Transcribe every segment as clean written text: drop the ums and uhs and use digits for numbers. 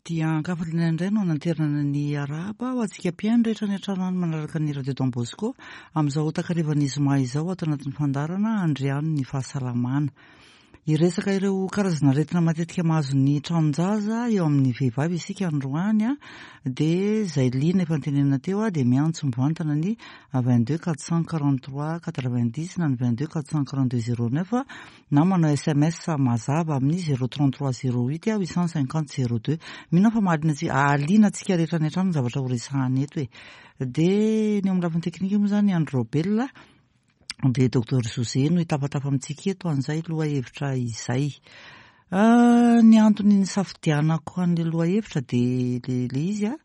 Aty an-kafaliana indray no ananterana ny arahaba ho antsika mpihaino rehetra any an-trano any manaraka ny Radio Don Bosco amin'izao takarivan'ny zoma izao ato anatin'ny fandaharana Andriano ny fahasalamana. Hiresaka ireo karazana aretina matetika mahazo ny tranon-jaza eo amin'ny vehivavy isika androany dia izay liana efa notenenina teo dia miantso mivantana ny 22 443 90 na ny 22 442 09 na manao sms mazava amin'ny 033 08 850 02. Mino aho fa mahaliana antsika, hahaliana antsika rehetra any an-trano ny zavatra ho resahana eto e. Dia ny eo amin'ny lafiny teknika moa izany Andry Raobelina dia Docteur José no hitafatafa amintsika eto an'izay lohahevitra izay. Ah, ny antony nisafidianako an'ilay lohahevitra dia le izy a,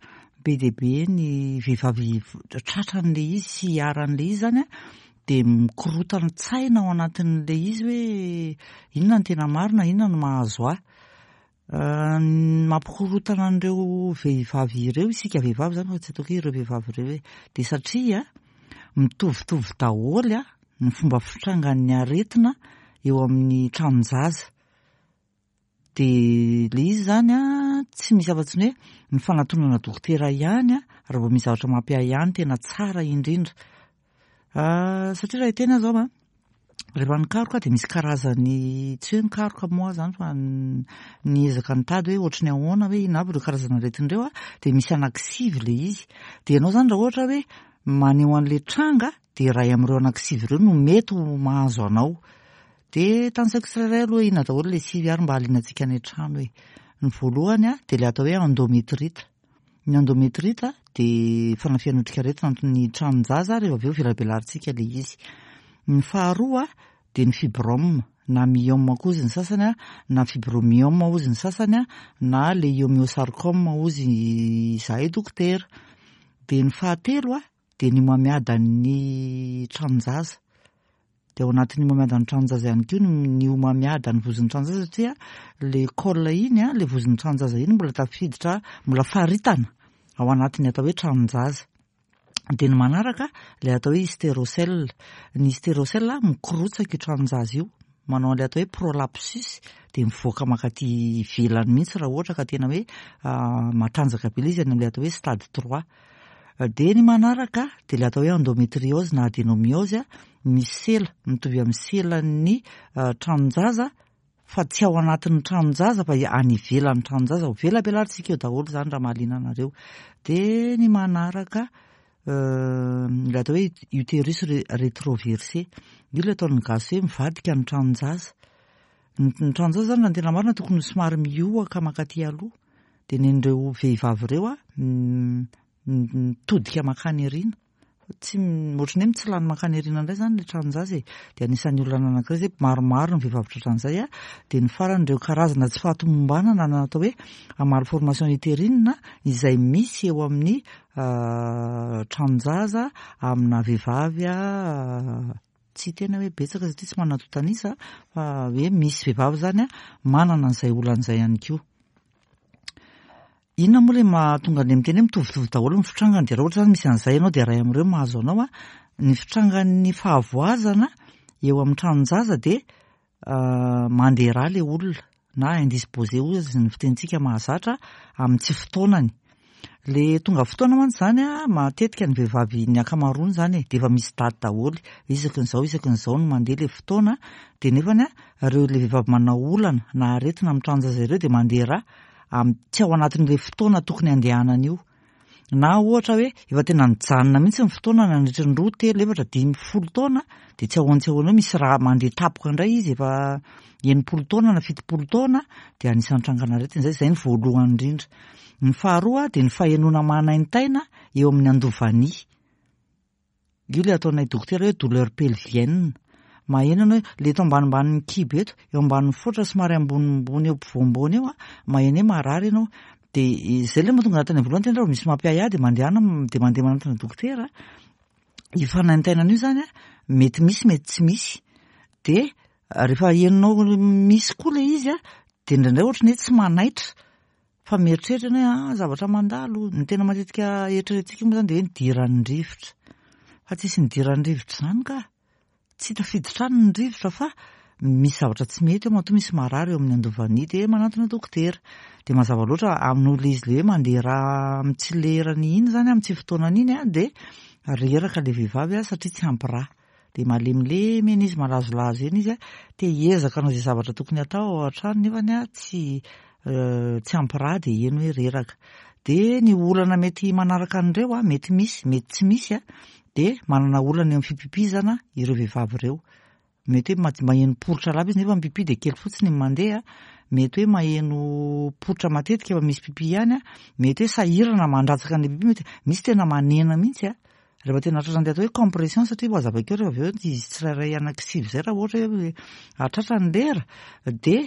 be dia be ny vehivavy tratran'ilay izy sy iharan'ilay izy izany a. dia mikorotan-tsaina ao anatin'ilay izy hoe inona no tena marina, inona no mahazo ahy. Ny mampikorontana an'ireo vehivavy ireo, isika vehivavy izany fa tsy ataoko hoe ireo vehivavy ireo e, dia satria mitovitovy daholo ny fomba fitrangan'ny aretina eo amin'ny tranon-jaza. Dia ilay izy izany an, tsy misy afa-tsy ny hoe ny fanatonana dokotera ihany an, raha vao misy zavatra mampiahiahy no tena tsara indrindra. Satria raha hiteny aho izao an, rehefa nikaroka aho dia misy karazany, tsy hoe nikaroka moa aho izany fa niezaka nitady hoe ohatry ny ahoana hoe inona avy ireo karazana aretina ireo an, dia misy anankisivy ilay izy. Dia ianao izany raha ohatra hoe maneho an'ilay tranga dia iray amin'ireo anankisivy ireo no mety ho mahazo anao. Dia tanisaiko tsirairay aloha inona daholo ilay sivy ary mba hahaliana antsika any an-trano e. Ny voalohany dia ilay atao hoe endometrite. Ny endometrite dia fanafihan'ny otrikaretina ny tranon-jaza rehefa avy eo velabelarintsika ilay izy. Ny faharoa dia ny fibrome na myome koa hozy ny sasany na fibromyome hozy ny sasany na leiomyosarcome hozy izahay dokotera. Dia ny fahatelo dia ny homamiadan'ny tranon-jaza. Dia ao anatin'ny homamiadan'ny tranon-jaza ihany koa ny homamiadan'ny vozon'ny tranon-jaza satria ilay col iny, ilay vozon'ny tranon-jaza iny mbola tafiditra, mbola faritana ao anatin'ny atao hoe tranon-jaza. Dia ny manaraka ilay atao hoe hystérocèle. Ny hystérocèle mikorotsaka io tranon-jaza io, manao an'ilay atao hoe prolapsus dia mivoaka mankaty ivelany mihitsy raha ohatra ka tena hoe matanjaka be ilay izy any amin'ilay atao hoe stade trois. Dia ny manaraka dia ilay atao hoe endometriose na adenomiose, misy sela mitovy amin'ny selan'ny tranon-jaza fa tsy ao anatin'ny tranon-jaza fa any ivelan'ny tranon-jaza, ho velabelarintsika eo daholo izany raha mahaliana anareo. Dia ny manaraka ilay atao hoe utérus rétroversé, io ilay ataon'ny gasy hoe mivadika ny tranon-jaza. Ny tranon-jaza izany raha ny tena marina tokony ho somary mihoaka mankaty aloha. Dia nen'ireo vehivavy ireo aho mitodika mankany aoriana. Tsy ohatran'ny hoe mitsilany mankany aoriana indray izany ilay tranon-jaza e. Dia anisan'ny olana anankiray izay, maromaro ny vehivavy tratran'izay an. Dia ny farany ireo karazana tsy fahatomombanana na atao hoe malformation utérine izay misy eo amin'ny tranon-jaza amina vehivavy Tsy tena hoe betsaka satria tsy manana antontan'isa fa hoe misy vehivavy izany manana an'izay olana izay ihany koa. Inona moa ilay mahatonga an'ilay miteny hoe mitovitovy daholo ny fitrangany dia raha ohatra izany misy an'izay ianao dia iray amin'ireo mahazo anao. Ny fitrangan'ny fahavoazana eo amin'ny tranon-jaza dia mandeha rà ilay olona na indisposé hoy aza ny fitenintsika mahazatra amin'ny tsy fotoanany. Le tonga fotoana mantsy izany a, matetika ny vehivavy ny ankamaroany izany e, dia efa misy daty daholo, isaky ny izao isaky ny izao no mandeha ilay fotoana, dia nefany a, ireo ilay vehivavy manao olana na aretina amin'ny tranon-jaza ireo dia mandeha rà amin'ny tsy ao anatin'ilay fotoana tokony handehanany io. Na ohatra hoe efa tena nijanona mihitsy ny fotoana nandritra ny roa, telo, efatra, dimy, folo taona dia tsy ahoana tsy ahoana eo misy raha mandeha tampoka indray izy efa 60 taona na 70 taona dia anisan'ny trangan'aretina izay, izay ny voalohany indrindra. Ny faharoa dia ny fahenoana manaintaina eo amin'ny andovania. Io ilay ataonay dokotera hoe douleur pelvienne. Maheno ianao hoe ilay eto ambanimbanin'ny kibo eto, eo ambanin'ny fotra somary ambonimbony eo ampovoamboany eo, maheno hoe marary ianao. Dia izay ilay mahatonga tany am-voalohany tena raha misy mampiahiahy dia mandehana dia mandeha manantona dokotera. Io fanaintainana io izany mety misy mety tsy misy. Dia rehefa henonao misy koa ilay izy dia indraindray ohatran'ny hoe tsy manaitra. Fa mieritreritra ny hoe ah zavatra mandalo, ny tena matetika eritreretintsika moa zany dia hoe nidiran'ny rivotra. Fa tsisy nidiran'ny rivotra izany ka. Tsy tafiditra any ny rivotra fa misy zavatra tsy mety eo matoa misy marary eo amin'ny andovania dia manantona dokotera. Dia mazava loatra amin'olona izy le hoe mandeha rà amin'ny tsy lerany iny izany, amin'ny tsy fotoanany iny dia reraka ilay vehivavy satria tsy ampy rà. Dia malemilemy eny izy, malazolazo eny izy, te hiezaka hanao izay zavatra tokony hatao ao an-trano nefany tsy tsy ampy rà dia eny hoe reraka. Dia ny olana mety manaraka an'ireo, mety misy, mety tsy misy, dia manana olana eo amin'ny fipipizana ireo vehivavy ireo. Mety hoe maheno poritra lava izy nefa ny pipi dia kely fotsiny ny mandeha, mety hoe maheno poritra matetika fa misy pipi ihany, mety hoe sahirana mandratsaka an'ilay pipi, mety misy tena manena mihitsy a. Rehefa tena tratran'ilay atao hoe compression satria ho hazavaiko eo rehefa avy eo izy tsirairay anankisivy izay raha ohatra hoe hahatratra ny lera dia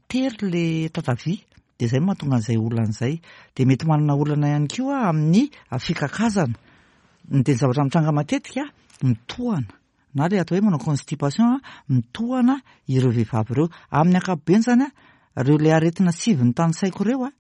tery ilay tatavia dia izay no mahatonga an'izay olana izay. Dia mety manana olana ihany koa amin'ny fikakazana. Ny dia ny zavatra mitranga matetika, mitohana na ilay atao hoe manao constipation, mitohana ireo vehivavy ireo. Amin'ny ankapobeny izany, ireo ilay aretina sivy notanisaiko ireo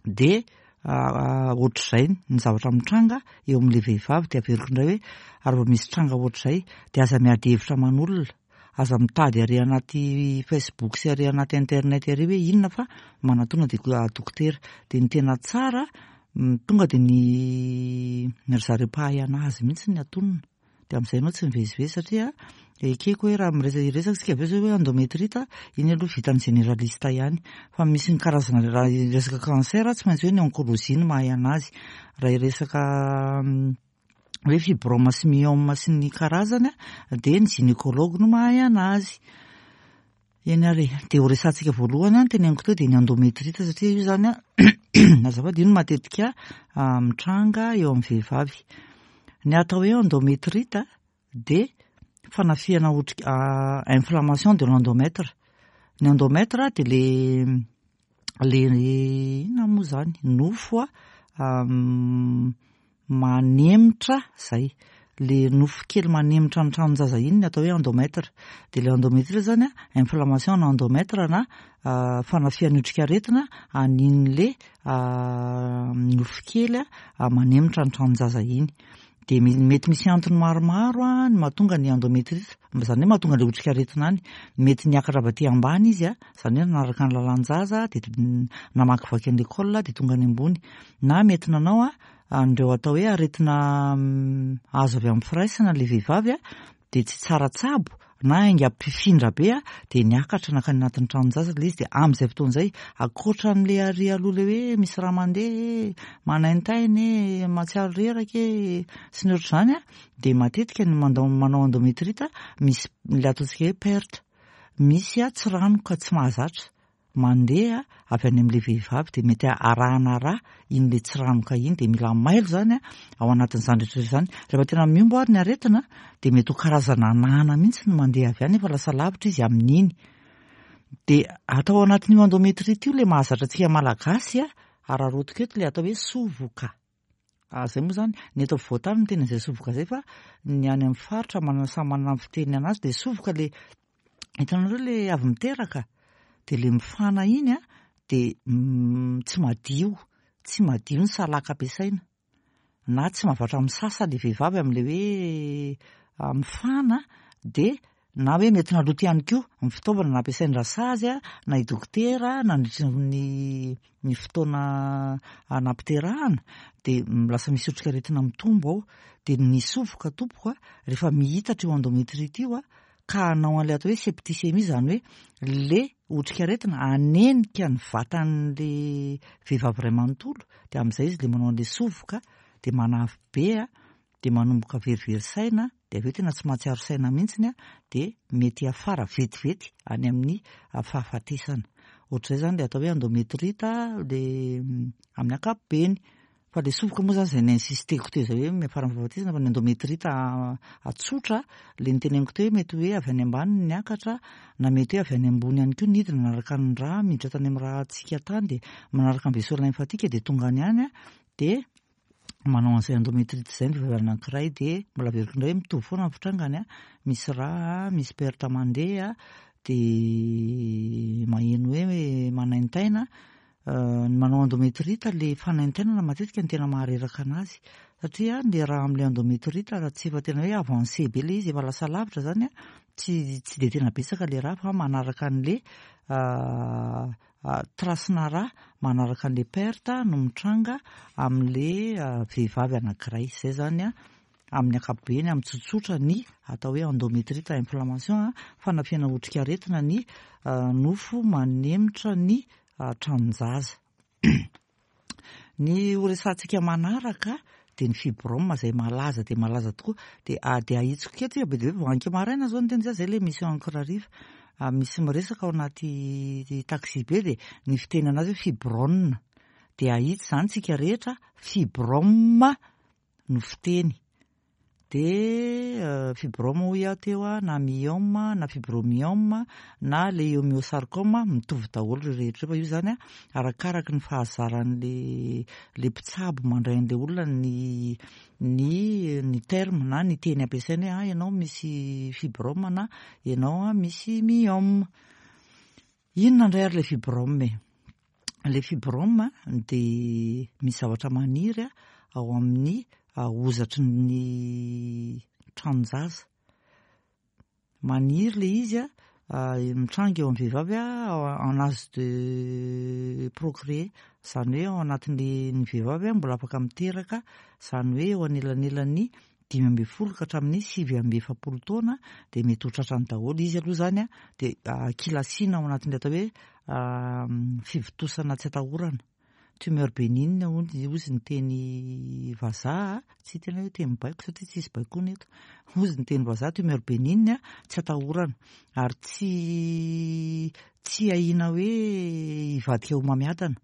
dia ohatr'izay ny zavatra mitranga eo amin'ilay vehivavy. Dia averiko indray hoe ary vao misy tranga ohatr'izay dia aza miady hevitra aman'olona, aza mitady ary anaty Facebook sy ary anaty internet ary hoe inona fa manatona dia dokotera. Dia ny tena tsara tonga dia ny ry zareo mpahay anazy mihitsy ny atonina. Dia amin'izay ianao tsy mivezivezy satria ekeko hoe raha miresaka hiresaka isika avy eo izao hoe endométrite, iny aloha vitan'ny généraliste ihany. Fa misy ny karazana raha hiresaka cancer tsy maintsy hoe ny oncologie no mahay anazy. Raha hiresaka hoe fibrome sy myome sy ny karazany dia ny gynécologue no mahay anazy. Eny ary e, dia ho resahantsika voalohany an, teneniko teo dia ny endométrite satria io izany an, azafady, io no matetika mitranga eo amin'ny vehivavy. Ny atao hoe endométrite dia fanafihana otrika, inflammation de l'endomètre. Ny endomètre dia le le inona moa izany, nofo manemitra zay, le nofo kely manemitra ny tranon-jaza iny ny atao hoe endomètre. Dia ilay endomètre zany an, inflammation ana endomètre na fanafihan'ny otrikaretina an'in'le nofo kely manemitra ny tranon-jaza iny. Dia mety misy antony maromaro ny mahatonga ny endométrite, izany hoe mahatonga ilay otrikaretina any. Mety niakatra avy aty ambany izy, izany hoe nanaraka ny lalan-jaza dia namakivaky an'ilay col dia tonga any ambony. Na mety nanao an'ireo atao hoe aretina azo avy amin'ny firaisana ilay vehivavy dia tsy tsara tsabo na haingam-pifindra be dia niakatra nankany anatin'ny tranon-jaza ilay izy dia amin'izay fotoana izay ankoatra an'ilay ary aloha ilay hoe misy raha mandeha e, manaintaina e, mahatsiaro reraka e, sy ny ohatr'izany dia matetika ny mandao manao endométrite misy ilay ataontsika hoe perte, misy tsiranoka tsy mahazatra mandeha avy any amin'ilay vehivavy dia mety arahana rà iny ilay tsiranoka iny dia mila mailo izany ao anatin'izany rehetra izany. Rehefa tena mihombo ary ny aretina dia mety ho karazana anana mihitsy no mandeha avy any efa lasa lavitra izy amin'iny. Dia atao ao anatin'io endométrite io ilay mahazatra antsika malagasy, araraotiko eto ilay atao hoe sovoka. Ah, zay moa zany, ny eto afovoan-tany no tena izay sovoka zay fa ny any amin'ny faritra manana samy manana ny fiteniny anazy dia sovoka le hitanareo le avy miteraka dia le mifana iny a dia tsy madio, tsy madio ny salaka ampiasaina na tsy mahavatra misasa le vehivavy amin'le hoe mifana dia Na hoe mety naloto ihany koa ny fitaovana nampiasain'ny rasazy na i dokotera nandritry ny ny fotoana nampiterahana dia lasa misy otrikaretina mitombo ao. Dia ny sovoka tompoko rehefa mihitatra io endométrite io ka hanao an'ilay atao hoe septicémie izany hoe le otrikaretina hanenika ny vatan'le vehivavy iray manontolo dia amin'izay izy le manao an'le sovoka dia manavy be dia manomboka verivery saina dia avy eo tena tsy mahatsiaro saina mihitsiny dia mety hiafara vetivety any amin'ny fahafatesana. Ohatr'izay izany ilay atao hoe endométrite dia amin'ny ankapobeny. Fa ilay sovoka moa izany izay ni-insisteko teo izay hoe miafara amin'ny fahafatesana fa ny endométrite tsotra ilay niteneniko teo hoe mety hoe avy any ambany ny niakatra na mety hoe avy any ambony ihany koa nidina nanaraka ny rà miditra tany amin'ny ràntsika tany dia manaraka ny vaisseau lymphatique dia tonga any ihany dia manao an'izay endométrite izay ny vehivavy anankiray dia mbola averiko indray mitovy foana ny fitrangany a, misy rà, misy perte mandeha, dia maheno hoe manaintaina, ny manao endométrite le fanaintainana matetika no tena mahareraka anazy satria le rà amin'ilay endométrite raha tsy efa tena hoe avancé be le izy efa lasa lavitra zany a. Tsy tsy dia tena betsaka le rà fa manaraka an'le trace-na rà manaraka an'le perte no mitranga amin'le vehivavy anankiray. Izay zany a amin'ny ankapobeny, amin'ny tsotsotra ny atao hoe endométrite inflammation, fanafihana otrikaretina ny nofo manemitra ny tranon-jaza. Ny ho resahantsika manaraka dia ny fibrome izay malaza dia malaza tokoa. Dia dia ahitsiko kely ity be dia be vao anke maraina izao ny teny izay, izay ilay émission ankora hariva. Misy miresaka ao anaty taxi be dia ny fiteny anazy hoe fibrone. Dia ahitsy izany tsika rehetra, fibrome no fiteny. Dia fibrome hoy aho teo a, na myome na fibromyome na leiomyosarcome, mitovy daholo ireo rehetra ireo fa io izany a arakaraky ny fahazaran'le le mpitsabo mandray an'le olona ny ny ny terme na ny teny ampiasainy hoe ah ianao misy fibrome na ianao misy myome. Inona indray ary le fibrome e? Le fibrome dia misy zavatra maniry ao amin'ny hozatry ny tranon-jaza. Maniry le izy mitranga eo amin'ny vehivavy en âge de procréer, izany hoe ao anatin'ny ny vehivavy mbola afaka miteraka, izany hoe eo anelanelan'ny 15 ka hatramin'ny 49 taona dia mety ho tratrany daholo. Izy aloha izany dia kilasiana ao anatin'ny atao hoe fivontosana tsy atahorana. Tumeur bénigne hozy ny teny vazaha, tsy tena hoe teny baiko satria tsisy baikoana eto. Hozy ny teny vazaha tumeur bénigne tsy atahorana ary tsy tsy ahiana hoe hivadika homamiadana.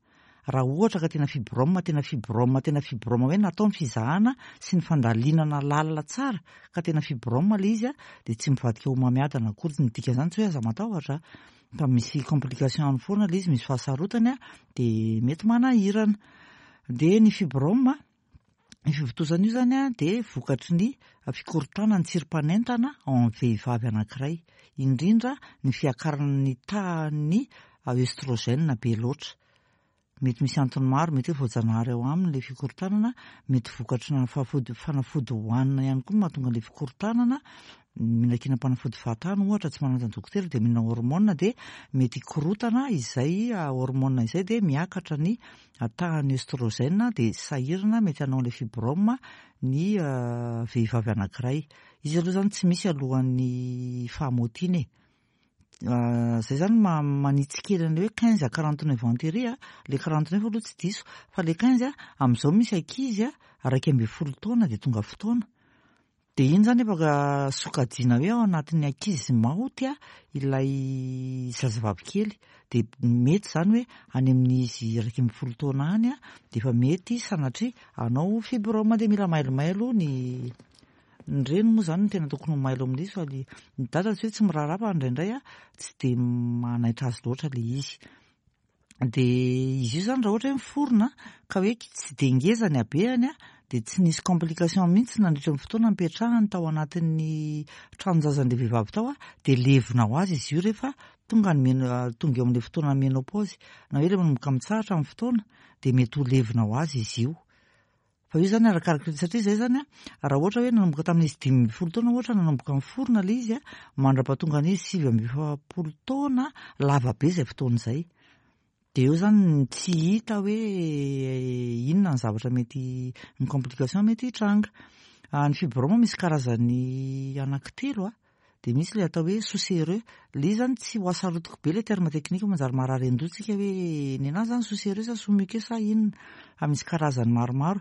Raha ohatra ka tena fibrome, tena fibrome, tena fibrome hoe natao ny fizahana sy ny fandalinana lalina tsara ka tena fibrome ilay izy dia tsy mivadika homamiadana akory. Ny dikan'izany tsy hoe aza matahotra fa misy complication any foana ilay izy, misy fahasarotany dia mety manahirana. Dia ny fibrome, ny fivontosana io izany dia vokatry ny fikorontanan'ny tsirim-panentana ao amin'ny vehivavy anankiray, indrindra ny fiakaran'ny tahan'ny œstrogène be loatra. Mety misy antony maro, mety hoe voajanahary ao aminy ilay fikorontanana, mety vokatry ny fanafody hohanina ihany koa no mahatonga ilay fikorontanana, mihinankinam-panafody fahatany ohatra, tsy manantona dokotera dia mihinana hormone dia mety hikorotana izay hormone izay dia miakatra ny tahan'ny œstrogène dia sahirana mety hanao ilay fibrome ny vehivavy anankiray. Izy aloha izany tsy misy alohan'ny fahamôtiana e. Zay zany manitsy kely an'ilay hoe 15 à 49 ans tery a, le 49 aloha tsy diso fa le 15 amin'izao misy ankizy 11 taona dia tonga fotoana. Dia iny zany afaka sokajiana hoe ao anatin'ny ankizy maoty ilay zazavavy kely. Dia mety zany hoe any amin'izy 11 taona any dia efa mety sanatria hanao fibrome dia mila mailomailo ny Ny reny moa izany no tena tokony ho mailo amin'izy fa ny dada tsy hoe tsy miraharaha fa indraindray tsy dia manaitra azy loatra ilay izy. Dia izy io izany raha ohatra hoe miforona ka hoe tsy dia ngeza ny habehany dia tsy nisy complication mihitsy nandritra ny fotoana nipetrahany tao anatin'ny tranon-jazan'ilay vehivavy tao dia levona ho azy izy io rehefa tonga ny meno-, tonga eo amin'ilay fotoana ménopause na hoe ilay manomboka mitsahatra ny fotoana dia mety ho levona ho azy izy io. Fa io zany arakaraka satria zay zany a, raha ohatra hoe nanomboka tamin'izy 15 taona ohatra nanomboka niforona ilay izy a, mandra-pahatonga an'izy 49 taona, lava be izay fotoana izay. Dia eo zany tsy hita hoe inona ny zavatra mety, ny complication mety hitranga. Ny fibrome misy karazany anankitelo a, dia misy ilay atao hoe sous-serreux. Ilay izy zany tsy ho asarotiko be ilay terme technique manjary marary an-doha tsika hoe ny anazy zany sous-serreux sa sous-muqueux sa inona. Fa misy karazany maromaro.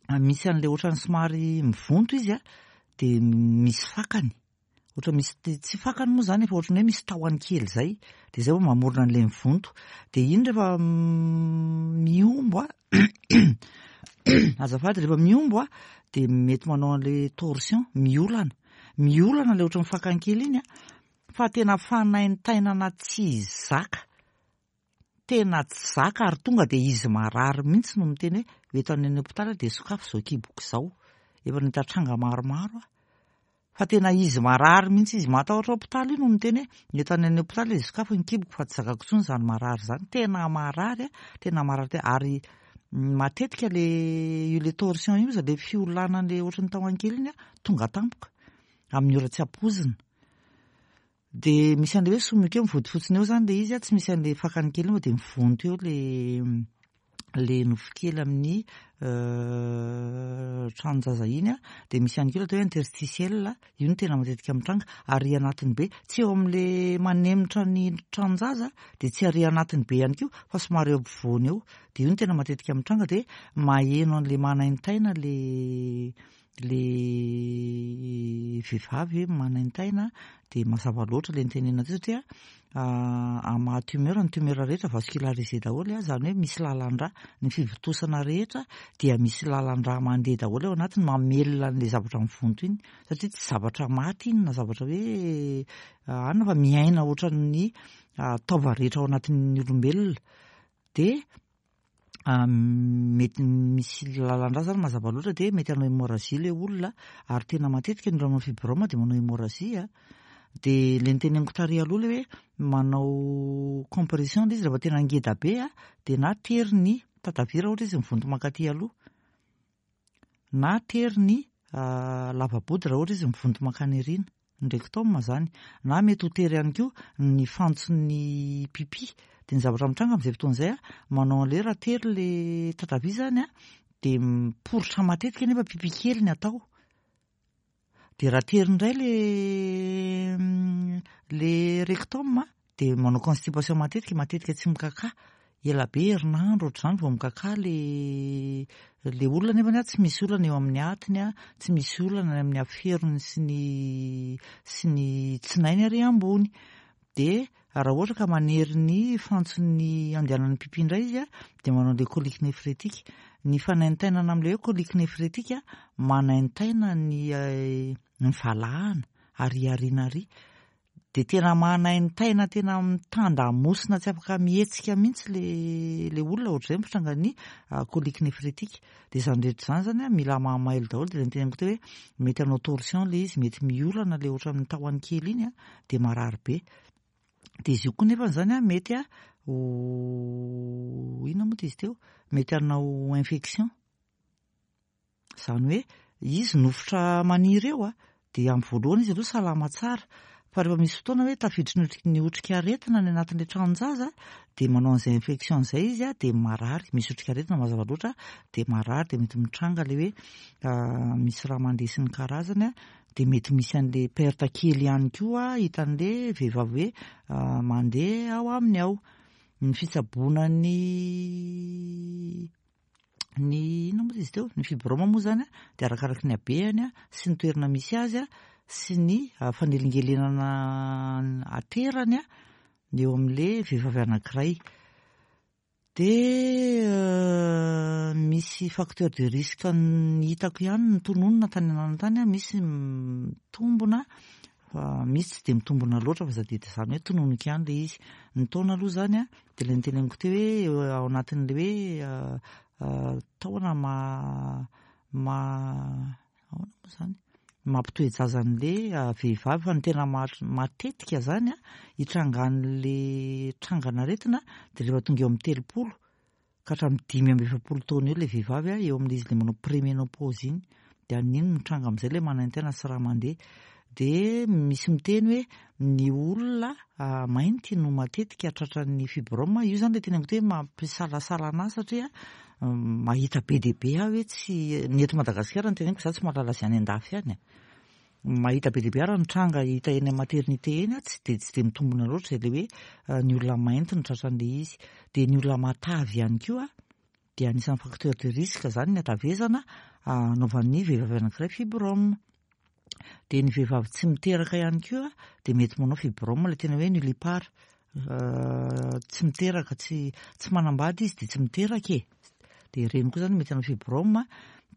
Misy an'ilay ohatran'ny somary mivonto izy a, dia misy fakany. Ohatra misy tsy fakany moa zany fa ohatran'ny hoe misy tahony kely izay. Dia izay vao mamorona an'ilay mivonto. Dia iny rehefa mihombo a, azafady, rehefa mihombo a, dia mety manao an'ilay torsion, miolana. Miolana ilay ohatran'ny fakany kely iny a, fa tena fanaintainana tsy zaka. Tena tsy zaka ary tonga dia izy marary mihitsy no miteny hoe eto any amin'ny hopitaly aho dia sokafy izao kiboko izao. Efa nahita tranga maromaro aho. Fa tena izy marary mihitsy, izy matahotra hopitaly io no miteny hoe eto any amin'ny hopitaly dia sokafy ny kiboko fa tsy zakako intsony izany marary izany. Tena marary a, tena marary tena ary matetika le io le torsion io, le fiolanana le ohatran'ny tahon-kely iny a, tonga tampoka amin'ny ora tsy ampoizina. De misy an'le hoe sous-muqueux mivonto fotsiny eo zany le izy a, tsy misy an'le fakany kely iny fa de mivonto eo le le nofo kely amin'ny tranon-jaza iny a. De misy ihany koa le atao hoe interstitiel, io no tena matetika mitranga, ary anatiny be, tsy eo amin'le manemitra ny tranon-jaza, de tsy ary anatiny be ihany koa fa somary eo ampovoany eo. De io no tena matetika mitranga, de maheno an'le manaintaina le le vehivavy hoe manaintaina, de mazava loatra le nitenenana teo satria amin'ny maha tumeur, ny tumeur rehetra vascularisé daholo a, zany hoe misy lalan-drà, ny fivontosana rehetra dia misy lalan-drà mandeha daholo ao anatiny mamelona an'le zavatra mivonto iny, satria tsy zavatra maty iny na zavatra hoe anona fa miaina ohatran'ny taova rehetra ao anatin'ny olombelona. De mety misy lalan-drà zany mazava loatra, de mety hanao hémorragie le olona, ary tena matetika ny olona manao fibrome de manao hémorragie a. De le niteneniko tary aloha le hoe manao compression le izy rehefa tena ngeda be a, de na tery ny tatavia raha ohatra izy mivonto mankaty aloha, na tery ny lava-body raha ohatra izy mivonto mankany aoriana, ny rectum zany, na mety ho tery ihany koa ny fantson'ny pipi. De ny zavatra mitranga amin'izay fotoana izay a, manao an'le raha tery le tatavia zany a, de miporitra matetika nefa pipi kely ny atao. De raha tery indray le rectum a, de manao constipation matetika, matetika tsy mikakà, ela be herinandro ohatr'izany vao mikakà le olona, nefa tsy misy olana eo amin'ny atiny a, tsy misy olana any amin'ny aferony sy ny tsinainy ary ambony. De raha ohatra ka manery ny fantson'ny andehanan'ny pipi indray izy a, de manao le colique néphrétique. Ny fanaintainana amin'le hoe colique néphrétique, manaintaina ny valahana ary ariana ary, de tena manaintaina, tena mitandamosina, tsy afaka mihetsika mihitsy le olona, ohatr'izay ny fitrangan'ny colique néphrétique. De zany rehetra zany zany a mila mahamailo daholo. De le niteneniko teo hoe mety hanao torsion le izy, mety miolana le ohatran'ny tahony kely iny a, de marary be. De izy io koa nefa zany a mety a ho inona moa ty izy teo, mety hanao infection, zany hoe izy nofotra maniry eo a, de amin'ny voalohany izy aloha salama tsara, fa rehefa misy fotoana hoe tafiditry ny otrikaretina any anatin'le tranon-jaza, de manao an'izay infection zay izy a, de marary, misy otrikaretina mazava loatra, de marary, de mety mitranga le hoe misy raha mandeha sy ny karazany a, de mety misy an'le perte kely ihany koa hitan'le vehivavy hoe mandeha ao aminy ao. Ny fitsaboana ny inona moa izy teo, ny fibrome moa zany a, de arakaraky ny habehany a sy ny toerana misy azy a sy ny fanelingelenana aterany a eo amin'le vehivavy anankiray. De misy facteur de risque ny hitako ihany ny tononona tany anana tany a, misy mitombona fa misy tsy de mitombona loatra, fa sady zany hoe tononiko ihany le izy. Ny taona aloha zany a, de le niteneniko teo hoe ao anatin'le hoe taona ma ahoana moa zany mampitoe-jaza an'le vehivavy, fa ny tena matetika zany a hitrangan'le trangan'aretina de rehefa tonga eo amin'ny 30 ka hatramin'ny 45 taona eo le vehivavy a, eo amin'izy le manao préménopause iny, de amin'iny mitranga amin'izay le manaintaina sy raha mandeha. De misy miteny hoe ny olona mainty no matetika tratran'ny fibrome io zany, le teneniko teo hoe mampisalasala anazy, satria mahita be dia be aho hoe tsy ny eto Madagasikara no teneniko, za tsy mahalala azy any an-dafy any a, mahita be dia be ary ny tranga hita eny amin'ny maternité eny a, tsy de mitombona loatra zay le hoe ny olona mainty no tratran'le izy. De ny olona matavy ihany koa de anisan'ny facteur de risque zany ny hatavezana anaovan'ny vehivavy anankiray fibrome. De ny vehivavy tsy miteraka ihany koa de mety manao fibrome, le tena hoe nullipare, tsy miteraka, tsy manambady izy de tsy miteraka e, de ireny koa zany mety hanao fibrome.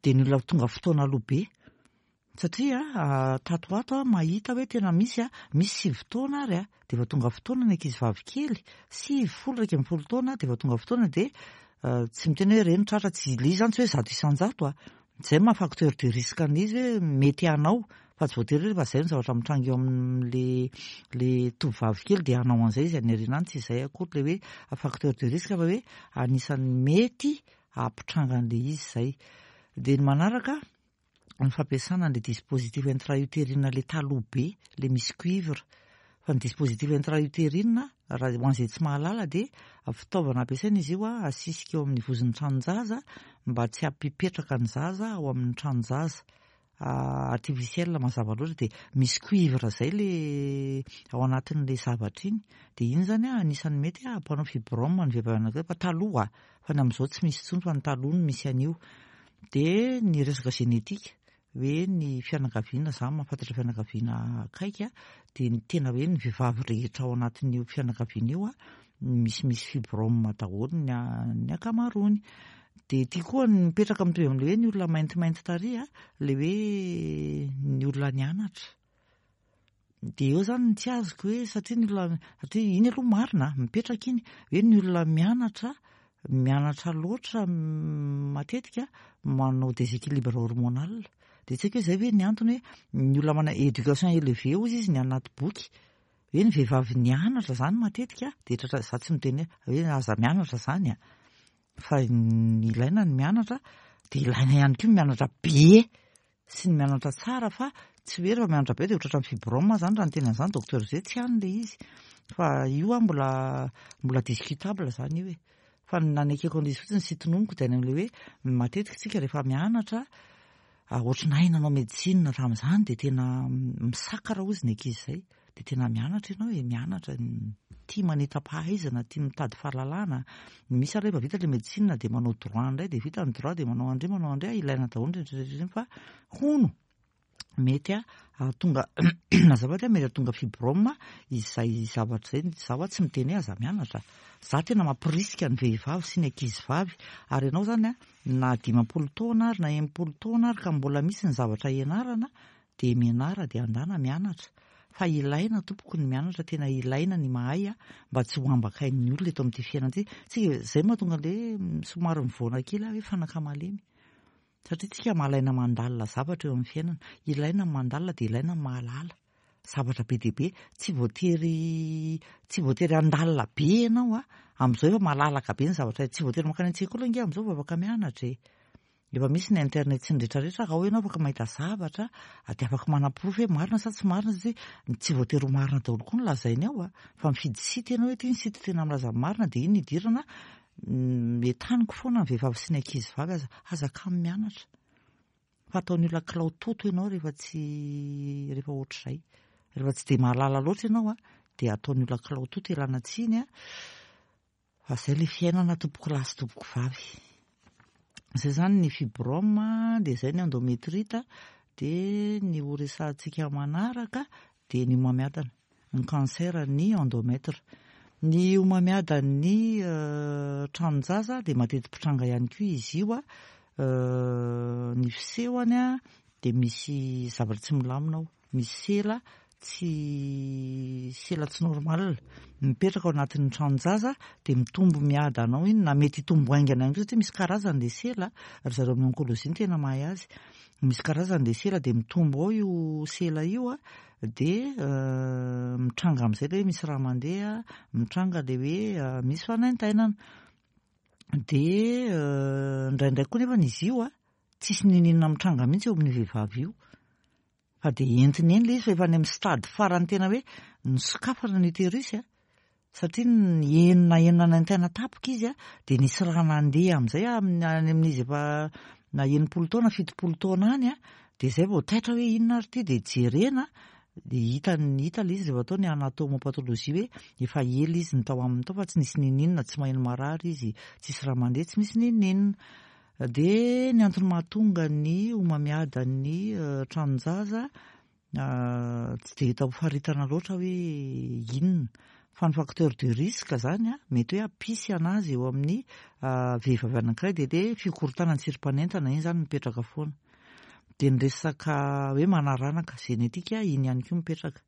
De ny olona tonga fotoana aloha be, satria tato ho ato a mahita hoe tena misy a, misy 9 taona ary a de efa tonga fotoana ny ankizy vavy kely, 9, 10, 11 taona de efa tonga fotoana. De tsy miteny hoe reny tratra, tsy le izy zany, tsy hoe 100% a, zay maha facteur de risque an'izy hoe mety hanao, fa tsy voatery hoe rehefa zay ny zavatra mitranga eo amin'le le tovovavy kely de hanao an'izay izy any aoriana any. Tsy izay akory le hoe facteur de risque, fa hoe anisan'ny mety hampitranga an'le izy zay. De ny manaraka, ny fampiasana an'le dispositif intra-utérine le taloha be le misy cuivre. Fa ny dispositif intra-utérine, raha ho an'izay tsy mahalala dia fitaovana ampiasaina izy io asisika eo amin'ny vozon'ny tranon-jaza mba tsy hampipetraka ny zaza ao amin'ny tranon-jaza. Artificiel mazava loatra dia misy cuivre izay le ao anatin'ilay zavatra iny. Dia iny izany anisan'ny mety hampanao fibrome ny vehivavy anankiray fa taloha fa ny amin'izao tsy misy intsony fa ny taloha no misy an'io. Dia ny resaka génétique hoe ny fianakaviana, za mahafantatra fianakaviana akaiky a, dia ny tena hoe ny vehivavy rehetra ao anatin'io fianakaviana io a, misimisy fibrome daholo ny ny ankamaroany. Dia ity koa ny mipetraka mitovy amin'ilay hoe ny olona maintimainty tary a, ilay hoe ny olona nianatra. Dia eo izany ny tsy azoko hoe satria ny olona, satria iny aloha marina a, mipetraka iny, hoe ny olona mianatra, mianatra loatra matetika manao déséquilibre hormonal. Dia tsy haiko hoe izay ve ny antony hoe ny olona manana éducation élevée hozy izy ny anaty boky, hoe ny vehivavy nianatra izany matetika dia tratra, za tsy miteny hoe aza mianatra izany a, fa ny ilaina ny mianatra, dia ilaina ihany koa ny mianatra be sy ny mianatra tsara fa tsy hoe rehefa mianatra be dia ho tratran'ny fibrome zany raha ny tena an'izany docteur Zay tsy any le izy fa io an mbola mbola discutable zany io e fa ny nanekeko an'izy fotsiny sy tononiko dia any amin'ilay hoe matetika tsika rehefa mianatra ohatry ny hay nanao médecine tamin'izany dia tena misakara hozy ny ankizy izay Dia tena mianatra ianao e, mianatra, tia manita-pahaizana, tia mitady fahalalana. Misy ary rehefa vita ilay médecine dia manao droit indray, dia vita ny droit dia manao andry, manao andry, ilaina daholo ny rehetra rehetra ireny fa hono mety hahatonga azafady a, mety hahatonga fibrome izay zavatra izay. Izaho tsy miteny hoe aza mianatra, za tena mampirisika ny vehivavy sy ny ankizy vavy, ary ianao izany a, na 50 taona ary na 60 taona ary ka mbola misy ny zavatra ianarana Dia mianara dia andana mianatra fa ilaina tompoko ny mianatra tena ilaina ny mahay mba tsy ho ambakain'ny olona eto amin'ity fiainana ity tsika izay mahatonga le somary mivoana kely aho hoe fanaka malemy satria tsika malaina mandalina zavatra eo amin'ny fiainana ilaina ny mandalina dia ilaina ny mahalala zavatra be dia be tsy voatery tsy voatery handalina be ianao a amin'izao efa malalaka be ny zavatra tsy voatery mankany an-tsekoly ange amin'izao vao afaka mianatra e Efa misy ny internet sy ny rehetra rehetra, raha ao ianao afaka mahita zavatra dia afaka manaporofo hoe marina sa tsy marina satria tsy voatery ho marina daholo koa ny lazainy ao a, fa mifidy site ianao hoe ity ny site tena milaza ny marina dia iny no idirana, entaniko foana ny vehivavy sy ny ankizy vavy aza, aza kamo mianatra fa ataon'ny olona kilao toto ianao rehefa tsy rehefa ohatr'izay, rehefa tsy dia mahalala loatra ianao a dia ataon'ny olona kilao toto ialana tsiny a. Fa zay le fiainana tompoko lahy sy tompoko vavy. Zay zany ny fibrome, dia zay ny endometrite, dia ny ho resahantsika manaraka dia ny homamiadana, ny cancer ny endomètre. Ny homamiadan'ny tranon-jaza dia mateti-pitranga ihany koa izy io, ny fisehony dia misy zavatra tsy milamina ao. Misy sela tsy sela tsy normal mipetraka ao anatin'ny tranon-jaza dia mitombo miadana ao iny na mety hitombo haingana ihany koa satria misy karazany ilay sela, ry zareo amin'ny oncologie no tena mahay azy. Misy karazany ilay sela dia mitombo ao io sela io dia mitranga amin'izay ilay hoe misy rà mandeha, mitranga ilay hoe misy fanaintainana. Dia indraindray koa nefa izy io tsisy n'inon'inona mitranga mihitsy eo amin'io vehivavy io. Fa dia entiny eny ilay izy fa efa any amin'ny stade farany tena hoe nisokafana ny utérus a, satria ny enina enina nanaintaina tampoka izy a, dia nisy rà nandeha amin'izay amin'ny any amin'izy efa na 60 taona 70 taona any a, dia izay vao taitra hoe inona ary ity, dia jerena dia hita hita ilay izy rehefa atao ny anatomopathologie hoe efa ela izy ny tao aminy tao fa tsy nisy n'inon'inona, tsy maheno marary izy, tsisy rà mandeha, tsy misy n'inon'inona. Dia ny antony mahatonga ny homamiadan'ny tranon-jaza tsy dia hita ho faritana loatra hoe inona. Fa ny facteur de risque izany mety hoe hampisy an'azy eo amin'ny vehivavy anankiray dia ilay fikorontanan'ny tsirim-panentana iny izany mipetraka foana. Dia ny resaka hoe manaranaka génétique iny ihany koa mipetraka.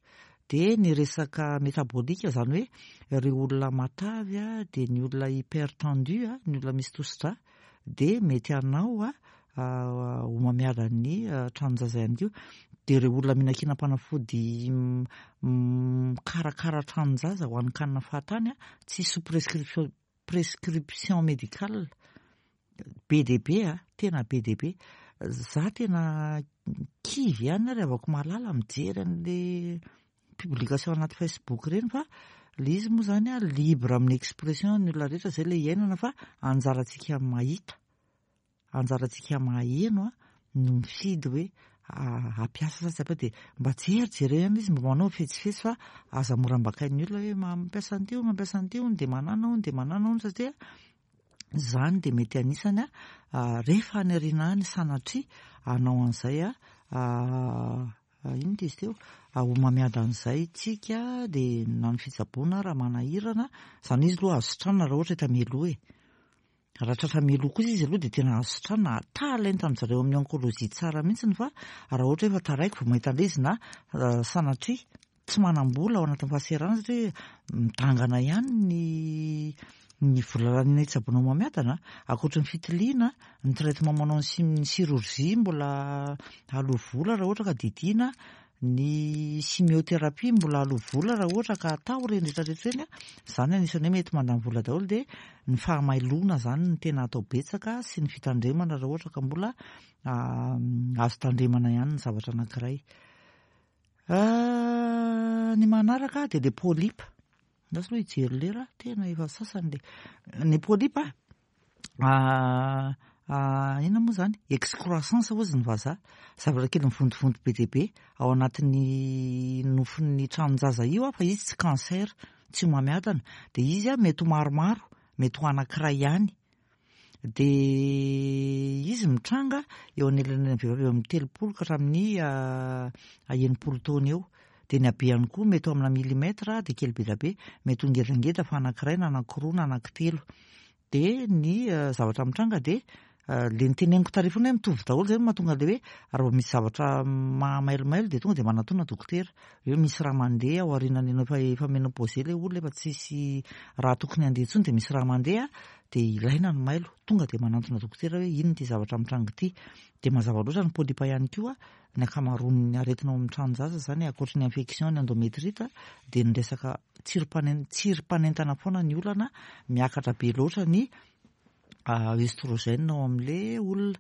Dia ny resaka métabolique izany hoe ireo olona matavy dia ny olona hypertendu, ny olona misy tosidra dia mety hanao homamiadan'ny tranon-jaza ihany koa. Dia ireo olona mihinan-kinam-panafody mikarakara tranon-jaza ho an'ny kanina fahatany, tsy sous prescription prescription médicale, be dia be a, tena be dia be. Za tena kivy ihany ary havako malala mijery an'le. publication anaty Facebook ireny fa le izy moa zany a libre amin'ny expression ny olona rehetra, zay le iainana fa anjarantsika mahita, anjarantsika maheno a no mifidy hoe hampiasa sa tsy hampiasa. Dia mba jerijereo ihany izy, mba manao fetsifetsy fa aza mora ambakain'ny olona hoe mampiasa an'ity hono, mampiasa an'ity hono, dia manana hono, dia manana hono, satria izany dia mety anisany a rehefa any aoriana any sanatria hanao an'izay a inona izy teo, homamiadan'izay tsika, dia na ny fitsaboana raha manahirana izany izy aloha azo sitranina raha ohatra hita mialoha e. Raha tratra mialoha kosa izy aloha dia tena azo sitranina, talenta amin-dry zareo amin'ny oncologie tsara mihitsy fa raha ohatra hoe efa taraiky vao mahita an'ilay izy na sanatria tsy manam-bola ao anatin'ny fahasahiranana satria midangana ihany ny ny vola laniana hitsaboana homamiadana, ankoatry ny fitiliana, ny traitement manao ny ny chirurgie mbola aloa vola raha ohatra ka didiana, ny chimiothérapie mbola aloa vola raha ohatra ka atao ireny rehetra rehetra ireny, izany anisan'ny hoe mety mandany vola daholo. Dia ny fahamailoana izany no tena atao betsaka sy ny fitandremana raha ohatra ka mbola azo tandremana ihany ny zavatra anankiray. Ny manaraka dia le polype. Lasa aloha hijery lera, tena efa sasany le. Ny polype, inona moa izany? Excroissance hozy ny vazaha. Zavatra kely mivontovonto be dia be ao anatin'ny nofon'ny tranon-jaza io, fa izy tsy cancer, tsy homamiadana. Dia izy mety ho maromaro, mety ho anankiray ihany. Dia izy mitranga eo anelanelan'ny vehivavy eo amin'ny 30 ka hatramin'ny 60 taona eo. Dia ny habehany koa mety ho amina milimètre, dia kely be dia be, mety ho ngedangeda fa anankiray na anankiroa na anankitelo. Dia ny zavatra mitranga dia le niteneniko tary foana hoe mitovy daholo, zay no mahatonga le hoe raha vao misy zavatra mahamailomailo dia tonga dia manatona dokotera. Hoe misy raha mandeha ao aorianan'ny enao efa ménopausé le olona, efa tsisy raha tokony handeha intsony, dia misy raha mandeha dia ilaina ny mailo, tonga dia manantona dokotera hoe inona ity zavatra mitranga ity. Dia mazava loatra ny polype ihany koa, ny ankamaroan'ny aretina ao amin'ny tranon-jaza izany ankoatry ny infection, ny endométrite, dia ny resaka tsirim-panentana foana ny olana, miakatra be loatra ny œstrogène ao amin'ilay olona.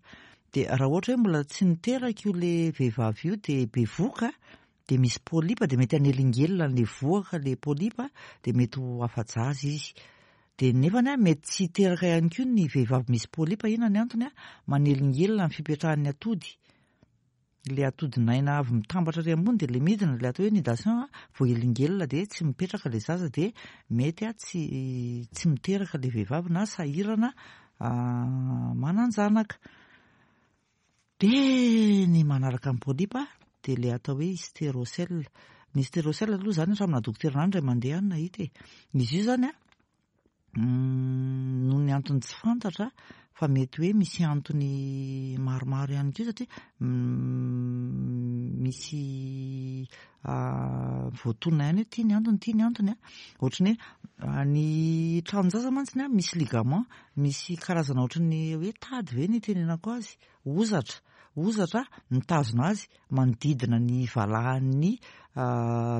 Dia raha ohatra hoe mbola tsy niteraka io le vehivavy io dia bevohoka, dia misy polype, dia mety hanelingelina an'ilay vohoka ilay polype, dia mety ho afa-jaza izy. Dia nefany mety tsy hiteraka ihany koa ny vehivavy misy polype. Inona ny antony? Manelingelina ny fipetrahan'ny atody. Ilay atodinaina avy mitambatra ary ambony dia ilay midina, ilay atao hoe nidation, voahelingelina dia tsy mipetraka ilay zaza, dia mety tsy miteraka ilay vehivavy na sahirana manan-janaka. Dia ny manaraka ny polype dia ilay atao hoe hystérocèle. Ny hystérocèle aloha izany hatramin'ny dokotera indray mandeha any nahita e. Izy io izany noho ny antony tsy fantatra fa mety hoe misy antony maromaro ihany koa, satria misy voatonona ihany hoe ity ny antony, ity ny antony. Ohatran'ny hoe ny tranon-jaza mantsy misy ligament, misy karazana ohatran'ny hoe tady ve ny itenenako azy, hozatra, hozatra mitazona azy manodidina ny valahan'ny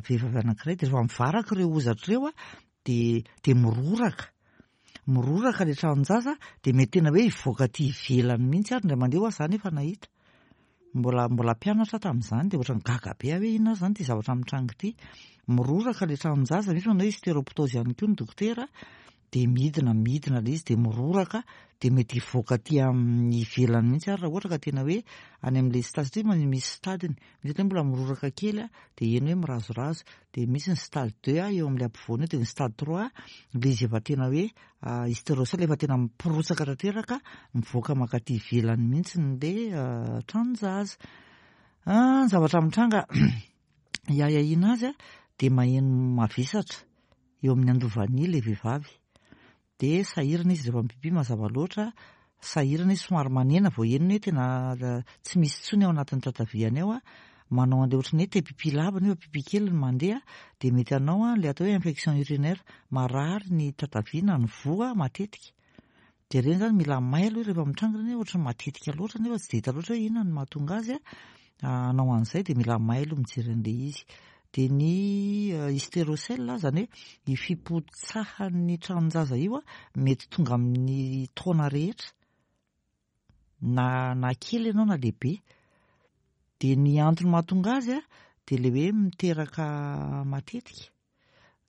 vehivavy anankiray. Dia rehefa mivaraka ireo hozatra ireo dia miroraka, miroraka ilay tranon-jaza, dia mety tena hoe hivoaka aty ivelany mihitsy ary indray mandeha ho aho izany efa nahita. Mbola mpianatra aho tamin'izany, dia ohatran'ny gaga be aho hoe inona ary izany ity zavatra mitranga ity. Miroraka ilay tranon-jaza, misy manao hoe hystéroptose ihany koa ny dokotera, dia midina, midina ilay izy, dia miroraka, dia mety hivoaka aty amin'ny ivelany mihitsy ary raha ohatra ka tena hoe any amin'ilay stade, satria misy stade-ny, misy hoe mbola miroraka kely, dia eny hoe mirazorazo, dia misy ny stade 2 eo amin'ilay ampovoany eo, dia ny stade 3 ilay izy efa tena hoe hystérocèle efa tena miporitsaka tanteraka, mivoaka mankaty ivelany mihitsy ilay tranon-jaza. Ny zavatra mitranga hiahiahiana azy dia maheno mavesatra eo amin'ny andovany ilay vehivavy, dia sahirana izy rehefa mipipi, mazava loatra, sahirana izy somary manena vao henony hoe tena tsy misy intsony ao anatin'ny tataviany ao, manao an'ilay ohatran'ny hoe te pipi lava nefa pipi kely ny mandeha, dia mety hanao ilay atao hoe infection urinaire, marary ny tatavia na ny voa matetika. Dia ireny izany mila mailo rehefa mitranga ireny hoe ohatran'ny matetika loatra nefa tsy dia hita loatra hoe inona no mahatonga azy hanao an'izay, dia mila mailo mijery an'ilay izy. Dia ny hystérocèle izany hoe io fipotsahan'ny tranon-jaza io mety tonga amin'ny taona rehetra, na kely ianao na lehibe. Dia ny antony mahatonga azy dia dia ilay hoe miteraka matetika,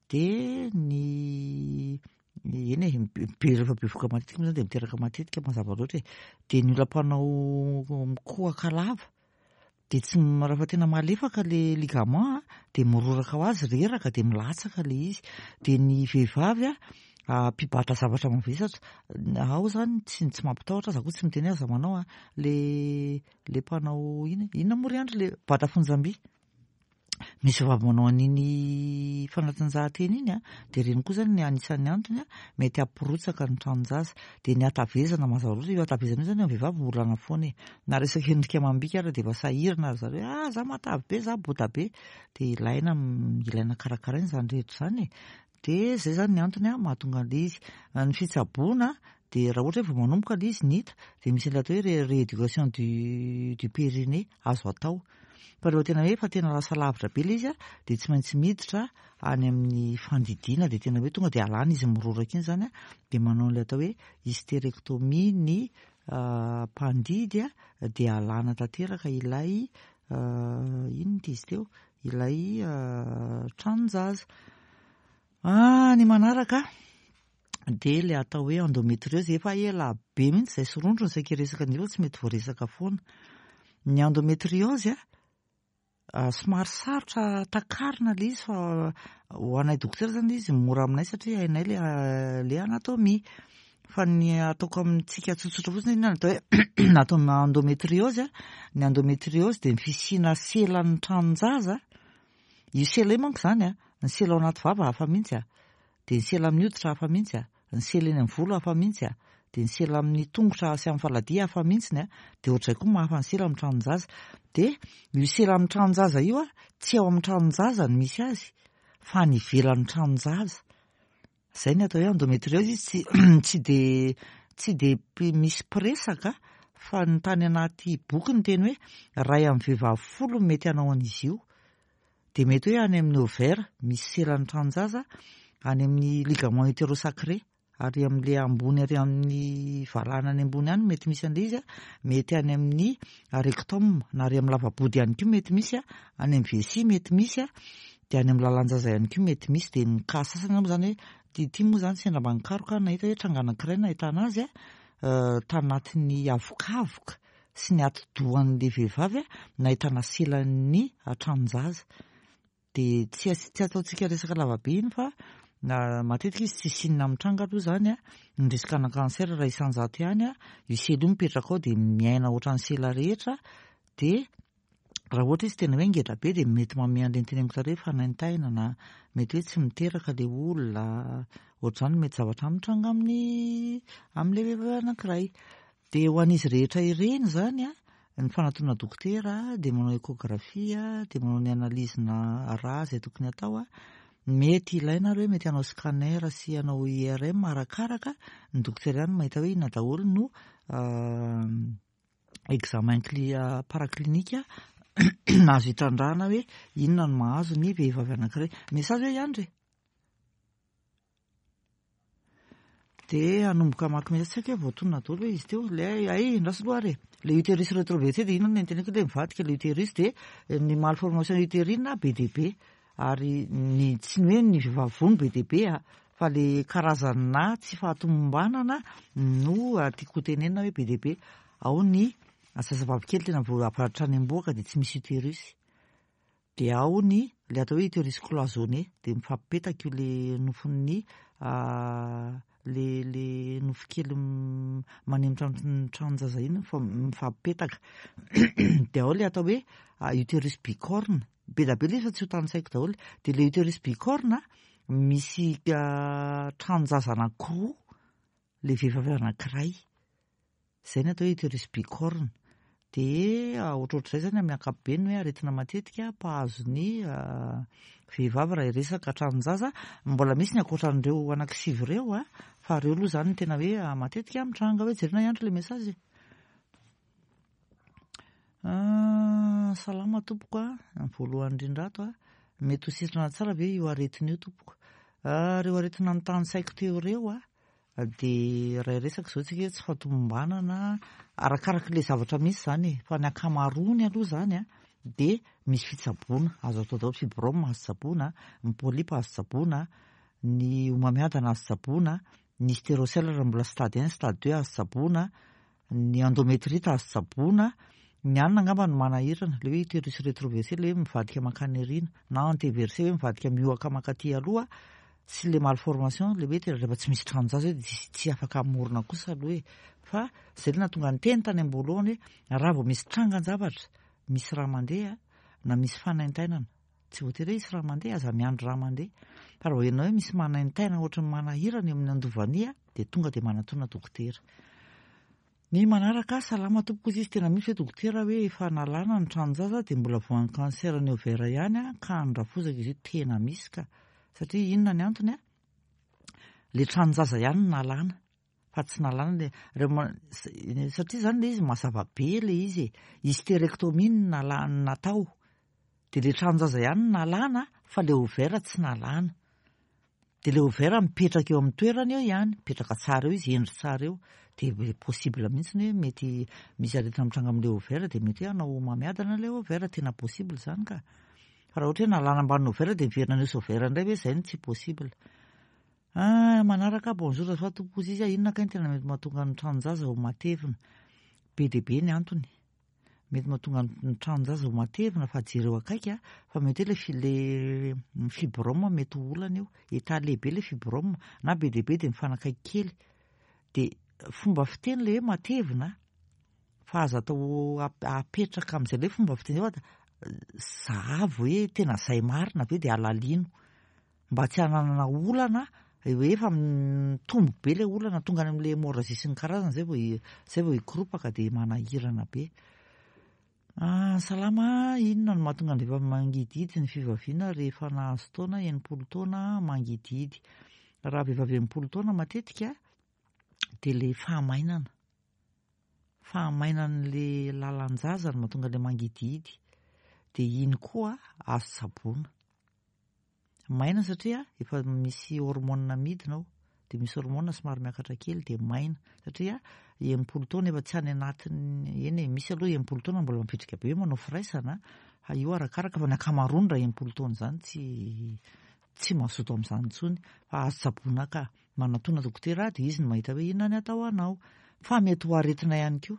dia ny eny e, be rehefa bevohoka matetika moa zany dia miteraka matetika mazava loatra e, dia ny olona mpanao mikohaka lava dia tsy rehefa tena malefaka le ligament dia miroraka ho azy, reraka dia milatsaka le izy, dia ny vehivavy a mpibata zavatra mavesatra, ao zany tsy tsy mampitahotra, za koa tsy miteny hoe aza manao a, le le mpanao inona inona moa ry Andry le bata fonjam-by? Misy vehivavy manao an'iny fanatanjahantena iny a, dia ireny koa zany anisan'ny antony a, mety hampirotsaka ny tranon-jaza. Dia ny hatavezana mazava loatra, io hatavezana io zany amin'ny vehivavy olana foana e. Na resaka endrika amam-bika ary dia efa sahirana ry zareo hoe ah za matavy be, za bota be. Dia ilaina ilaina karakaraina izany rehetra izany e. Dia izay zany ny antony a mahatonga an'ilay izy. Ny fitsaboana dia raha ohatra hoe vao manomboka ilay izy ny hita dia misy an'ilay atao hoe rééducation du du périnée azo atao. Fa rehefa tena hoe efa tena lasa lavitra be ilay izy a, dia tsy maintsy miditra any amin'ny fandidiana, dia tena hoe tonga dia alana izy miroraka iny izany a, dia manao an'ilay atao hoe hystérectomie ny mpandidy a, dia alana tanteraka ilay inona ity izy teo, ilay tranon-jaza. Ah, ny manaraka dia ilay atao hoe endometriose, efa ela be mihitsy izay sorondrony saika hiresaka an'io fa tsy mety voaresaka foana. Ny endometriose a, somary sarotra takarina ilay izy fa ho anay dokotera izany ilay izy mora aminay satria hainay ilay ilay anatomie. Fa ny ataoko amintsika tsotsotra fotsiny inona no atao hoe atao endometriose a, ny endometriose dia ny fisiana selan'ny tranon-jaza, io sela io manko izany a, ny sela ao anaty vava hafa mihitsy a. Dia ny sela amin'ny hoditra hafa mihitsy a, ny sela eny amin'ny volo hafa mihitsy a, dia ny sela amin'ny tongotra sy amin'ny faladia hafa mihitsiny a, dia ohatr'izay koa mahafa ny sela amin'ny tranon-jaza. Dia io sela amin'ny tranon-jaza io a, tsy ao amin'ny tranon-jaza no misy azy, fa any ivelan'ny tranon-jaza. Izay ny atao hoe endometriose, izy tsy tsy dia tsy dia misy mpiresaka fa ny tany anaty boky niteny hoe iray amin'ny vehivavy folo no mety hanao an'izy io. Dia mety hoe any amin'ny ovaire, misy selan'ny tranon-jaza, any amin'ny ligament utérosacré, ary amin'ilay ambony ary amin'ny valahana any ambony any mety misy an'ilay izy, mety any amin'ny rectum na ary amin'ny lava-body ihany koa mety misy, any amin'ny vessie mety misy, dia any amin'ny lalan-jaza ihany koa mety misy. Dia ny cas sasany moa izany hoe, ity ity moa izany sendra mba nikaroka aho nahita hoe tranga anankiray nahitana azy tanatin'ny avokavoka sy ny atidohan'ilay vehivavy nahitana selan'ny tranon-jaza. Dia tsy tsy ataontsika resaka lavabe iny fa matetika izy tsy signe mitranga aloha izany a, ny risque ana cancer raha isan-jato ihany a, io sela io mipetraka ao dia miaina ohatran'ny sela rehetra, dia raha ohatra izy tena hoe ngeda be dia mety manome an'ireny teneniko taloha hoe fanaintainana na mety hoe tsy miteraka ilay olona, ohatr'izany mety zavatra mitranga amin'ny amin'ilay vehivavy anankiray. Dia ho an'izy rehetra ireny izany an, ny fanatona dokotera, dia manao échographie, dia manao ny analyse-na rà izay tokony hatao an, mety ilaina ary hoe mety hanao scanner sy hanao IRM arakaraka ny dokotera ihany no mahita hoe inona daholo no examen paraclinique azo itrandrahana hoe inona no mahazo ny vehivavy anankiray. Message hoe ihany re. Dia hanomboka hamaky message, tsy haiko hoe voatonona daholo ve izy teo, ilay hay andraso aloha ary e, ilay utérus rétroverti dia inona no noteneniko ilay mivadika ilay utérus dia ny malformation utérine be dia be ary ny tsy ny hoe ny vehivavy voa no be dia be a, fa ilay karazana tsy fahatomombanana no tiako hotenenina hoe be dia be, ao ny zazavavy kely tena vao avy hatrany am-bohoka dia tsy misy utérus. Dia ao ny ilay atao hoe utérus cloisonné, dia mifampipetaka io le nofon'ny le le nofo kely manemitra ny tranon-jaza iny mifampipetaka. Dia ao ilay atao hoe utérus bicorne, be dia be ilay izy fa tsy ho tanisaiko daholo. Dia ilay utérus bicorne misy tranon-jaza anankiroa ilay vehivavy anankiray. Izay ny atao hoe utérus bicorne. Dia ohatrohatr'izay izany amin'ny ankapobeny hoe aretina matetika mpahazo ny vehivavy raha hiresaka tranon-jaza. Mbola misy ny ankoatran'ireo anankisivy ireo a, fa ireo aloha izany no tena hoe matetika mitranga hoe jerena ihany ilay message e. Salama tompoko a, ny voalohany indrindra ato a, mety ho sitrana tsara ve io aretina io tompoko? Ireo aretina notanisaiko teo ireo a, Dia raha hiresaka izao tsika hoe tsy fahatomombanana, arakaraka ilay zavatra misy izany e, fa ny ankamaroany aloha izany an, dia misy fitsaboana azo atao daholo, fibrome azo tsaboina, ny polype azo tsaboina, ny homamiadana azo tsaboina, ny hystérocèle raha mbola stade 1, stade 2 azo tsaboina, ny endométrite azo tsaboina, ny anona angamba no manahirana, le hoe utérus rétroversé, le hoe mivadika mankany aoriana, na antéversé hoe mivadika miohaka mankaty aloha, sy le malformation, le hoe tena rehefa tsy misy tranon-jaza hoe tsy afaka hamorona kosa aloha e. Fa zay le nahatonga ny teny tany am-boalohany hoe raha vao misy trangan-javatra, misy raha mandeha na misy fanaintainana, tsy voatery hoe hisy raha mandeha, aza miandry raha mandeha. Fa raha vao henonao hoe misy manaintaina ohatry ny manahirana eo amin'ny andovania dia tonga dia manatona dokotera. Ny manaraka, salama tompoko izy, tena misy ve dokotera hoe efa nalana ny tranon-jaza dia mbola voan'ny cancer ny ovaire ihany a, ka ny rafozako izy io tena misy ka. Satria inona ny antony a? Le tranon-jaza ihany no nalana fa tsy nalana le reo satria zany le izy mazava be le izy e. Hystérectomie no nalana natao. Dia le tranon-jaza ihany no nalana fa le ovaire tsy nalana. Dia le ovaire mipetraka eo amin'ny toerany eo ihany, mipetraka tsara eo izy, hendry tsara eo. Dia possible mihitsy hoe mety misy aretina mitranga amin'ilay ovaire dia mety hoe hanao homamiadana ilay ovaire, tena possible izany ka. Fa raha ohatra hoe nalana ambanin'ny ovaire dia miverina nisy ovaire indray ve, izay no tsy possible. Ah, manaraka, bonjour azafady tompoko izy, inona kay no tena mety mahatonga ny tranon-jaza ho matevina? Be dia be ny antony. Mety mahatonga ny tranon-jaza ho matevina fa jereo akaiky a, fa mety hoe le le fibrome mety ho olana io, état lehibe le fibrome na be dia be dia mifanakaiky kely, dia fomba fiteny le hoe matevina fa aza atao apetraka amin'izay le fomba fiteny zay fa zahavo hoe tena zay marina ve dia alalino mba tsy hananana olana hoe efa mitombo be le olana tonga any amin'le hémorragie sy ny karazany zay vao zay vao hikoropaka dia manahirana be. Ah, salama, inona no mahatonga ny vehivavy mangidihidy ny fivaviana rehefa nahazo taona, 60 taona mangidihidy? Raha vehivavy 60 taona matetika dia le fahamainana. Fahamainan'le lalan-jaza no mahatonga le mangidihidy. Dia iny koa azo tsaboina. Maina satria efa misy hormone midina ao, dia misy hormone somary miakatra kely dia maina satria 60 taona efa tsy any anatin'ny, eny e, misy aloha 60 taona mbola mavitrika be hoe manao firaisana, fa io arakaraka fa ny ankamaroany raha 60 taona izany tsy tsy mazoto amin'izany intsony, fa azo tsaboina ka. Manatona dokotera dia izy no mahita hoe inona ny atao anao. Fa mety ho aretina ihany koa.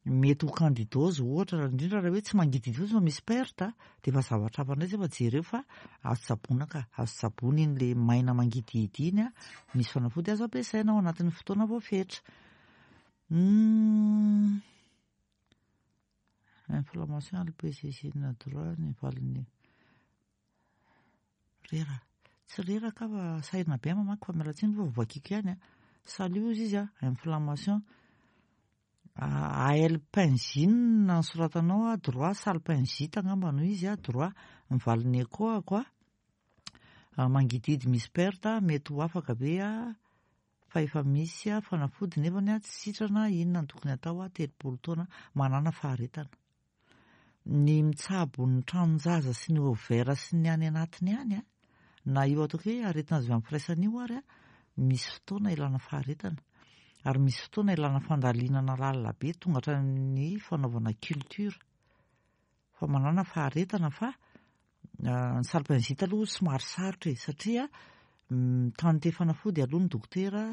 Mety ho candidose ohatra, indrindra raha hoe tsy mangidihidy fotsiny fa misy perte dia efa zavatra hafa indray izay fa jereo fa azo tsaboina ka, azo tsaboina iny le maina mangidihidy iny a, misy fanafody azo ampiasaina ao anatin'ny fotoana voafetra. Inflammation LPCC droit ny valiny. Reraka. Tsy reraka aho fa sahirana be aho mamaky fa miala tsiny fa voakiko ihany a. Salut ozy izy a, inflammation. AL pingine no soratanao a, droit salpingite angamba no izy a, droit. Ny valiny écho ako a. Mangidihidy misy perte, mety ho afaka be a. Fa efa misy a, fanafody nefany a, tsy sitrana, inona no tokony atao a, 30 taona, manana faharetana. Ny mitsabo ny tranon-jaza sy ny ovaire sy ny any anatiny any a, na io ataoko hoe aretina azo avy amin'ny firaisana io ary a, misy fotoana ilana faharetana ary misy fotoana ilana fandalinana lalina be tonga hatramin'ny fanaovana culture, fa manana faharetana fa ny salpingite aloha somary sarotra e, satria mitante fanafody aloha ny dokotera,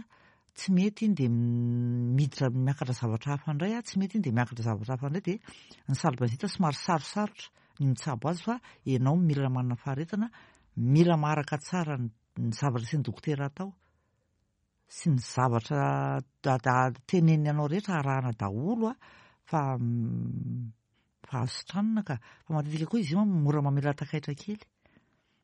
tsy mety iny dia miditra miakatra zavatra hafa indray a, tsy mety iny dia miakatra zavatra hafa indray, dia ny salpingite somary sarosarotra ny mitsabo azy fa ianao mila manana faharetana, mila maharaka tsara ny zavatra sy ny dokotera atao sy ny zavatra teneniny anao rehetra arahana daholo a, fa fa azo sitranina ka. Fa matetika koa izy io mora mamela takaitra kely.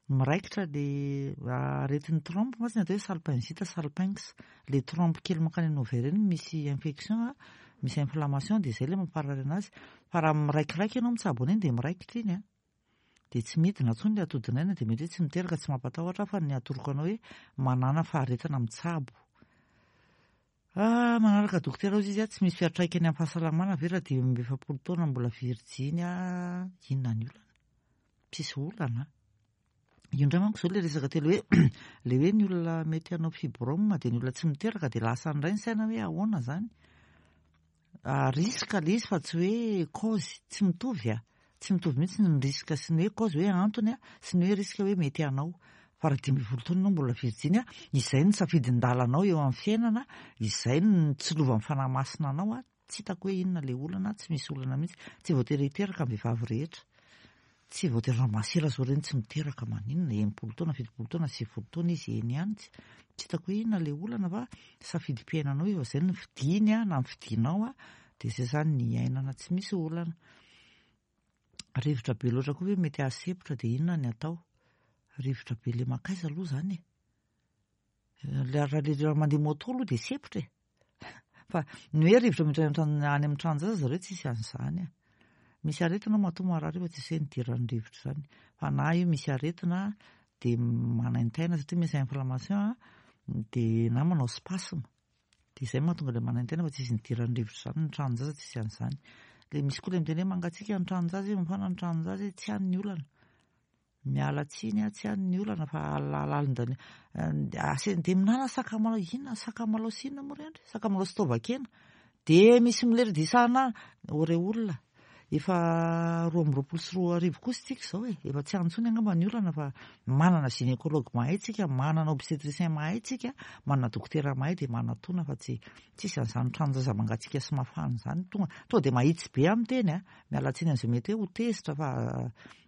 Miraikitra le aretin'ny trompe mantsy ny atao hoe salpingite, salpinx. Le trompe kely mankany amin'ny ovaire iny misy infection, misy inflammation dia izay le mamparary anazy. Fa raha miraikiraiky ianao mitsabo an'iny dia miraikitra iny a. Dia tsy midina intsony le atodinaina dia mety hoe tsy miteraka, tsy mampatahotra fa ny atoroko anao hoe manàna faharetana mitsabo. Ah, manaraka dokotera ozy izy a, tsy misy fiantraikany amin'ny fahasalamana ve raha 45 taona mbola virjiny a, inona ny olana? Tsisy olana. Io indray manko izao le resaka telo hoe le hoe ny olona mety hanao fibrome dia ny olona tsy miteraka dia lasa indray ny saina hoe ahoana zany? Risque le izy fa tsy hoe cause, tsy mitovy a. Tsy mitovy mihitsy ny risque sy ny hoe cause hoe antony a, sy ny hoe risque hoe mety hanao. Fa raha 15 taona ianao mbola virjiny a, izay no safidin-dalanao eo amin'ny fiainana, izay no tsilovan'ny fanahy masina anao a, tsy hitako hoe inona ilay olana, tsy misy olana mihitsy. Tsy voatery hiteraka ny vehivavy rehetra. Tsy voatery raha masera zao ireny tsy miteraka maninona, 60 taona, 70 taona, 90 taona izy eny ihany, tsy tsy hitako hoe inona ilay olana fa safidim-piainanao io, fa izay no fidiny a, na ny fidinao a, dia izay izany ny iainana tsy misy olana. Rivotra be loatra koa ve mety hahasempotra dia inona ny atao? Rivotra be le mankaiza aloha izany e? Raha le raha mandeha moto aloha dia sempotra e! Fa ny hoe rivotra miditra any an-trano any amin'ny tranon-jaza zareo tsisy an'izany e! Misy aretina matoa marary io fa tsisy hoe nidiran'ny rivotra izany. Fa na io misy aretina dia manaintaina satria misy inflammation dia na manao spasme. Dia izay mahatonga ilay manaintaina fa tsisy nidiran'ny rivotra izany, ny tranon-jaza tsisy an'izany. Ilay misy koa ilay miteny hoe mangatsiaka ny tranon-jaza e, mafana ny tranon-jaza e, tsy any ny olana. Miala tsiny aho, tsy any ny olana fa alalindany ase dia minana sakamalao, inona sakamalao sy inona moa ry Andry? Sakamalao sy taovan-kena. Dia misy milery dia isana ô re olona. Efa 2022 kosa tsika izao e, efa tsy any intsony angamba ny olana fa manana gynécologue mahay tsika, manana obstétricien mahay tsika, manana dokotera mahay dia manatona fa tsy tsisy an'izany tranon-jaza mangatsiaka sy mafana izany. Tonga tonga dia mahitsy be aho miteny a, miala tsiny amin'izay mety hoe ho tezitra fa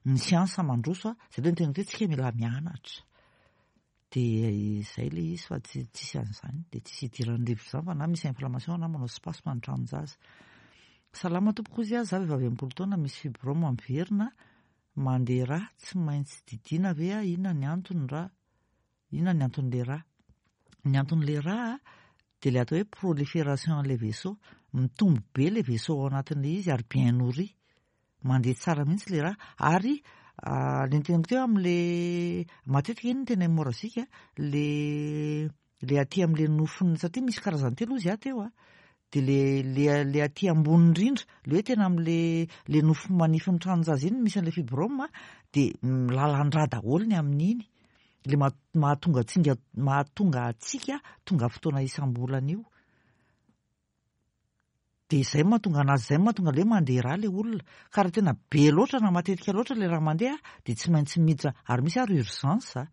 ny siansa mandroso a, izay ilay niteneniko hoe tsika mila mianatra. Dia izay ilay izy fa tsy tsisy an'izany, dia tsisy idiran'ny rivotra izany fa na misy inflammation na manao spasme ny tranon-jaza. Salama tompoko ozy aho, za vehivavy 60 taona misy fibrome miverina mandeha rà, tsy maintsy didiana ve aho, inona ny antony ra, inona ny anton'le rà? Ny anton'le rà dia ilay atao hoe prolifération an'ilay vaisseau, mitombo be ilay vaisseau ao anatin'ilay izy ary bien nourri. Mandeha tsara mihitsy le raha ary le niteneniko teo amle matetika iny no tena hémorragique le le aty amle nofony satria misy karazany telo ozy aho teo a de le le le aty ambony indrindra le hoe tena amle le nofo manifin'ny tranon-jaza iny misy an'le fibrome de milalan-drà daholo ny amin'iny le mahatonga tsinga mahatonga antsika tonga fotoana isam-bolana io. Dia izay no mahatonga anazy izay no mahatonga ilay hoe mandeha rà ilay olona. Ka raha tena be loatra na matetika loatra ilay rà mandeha dia tsy maintsy miditra, ary misy ary urgence a!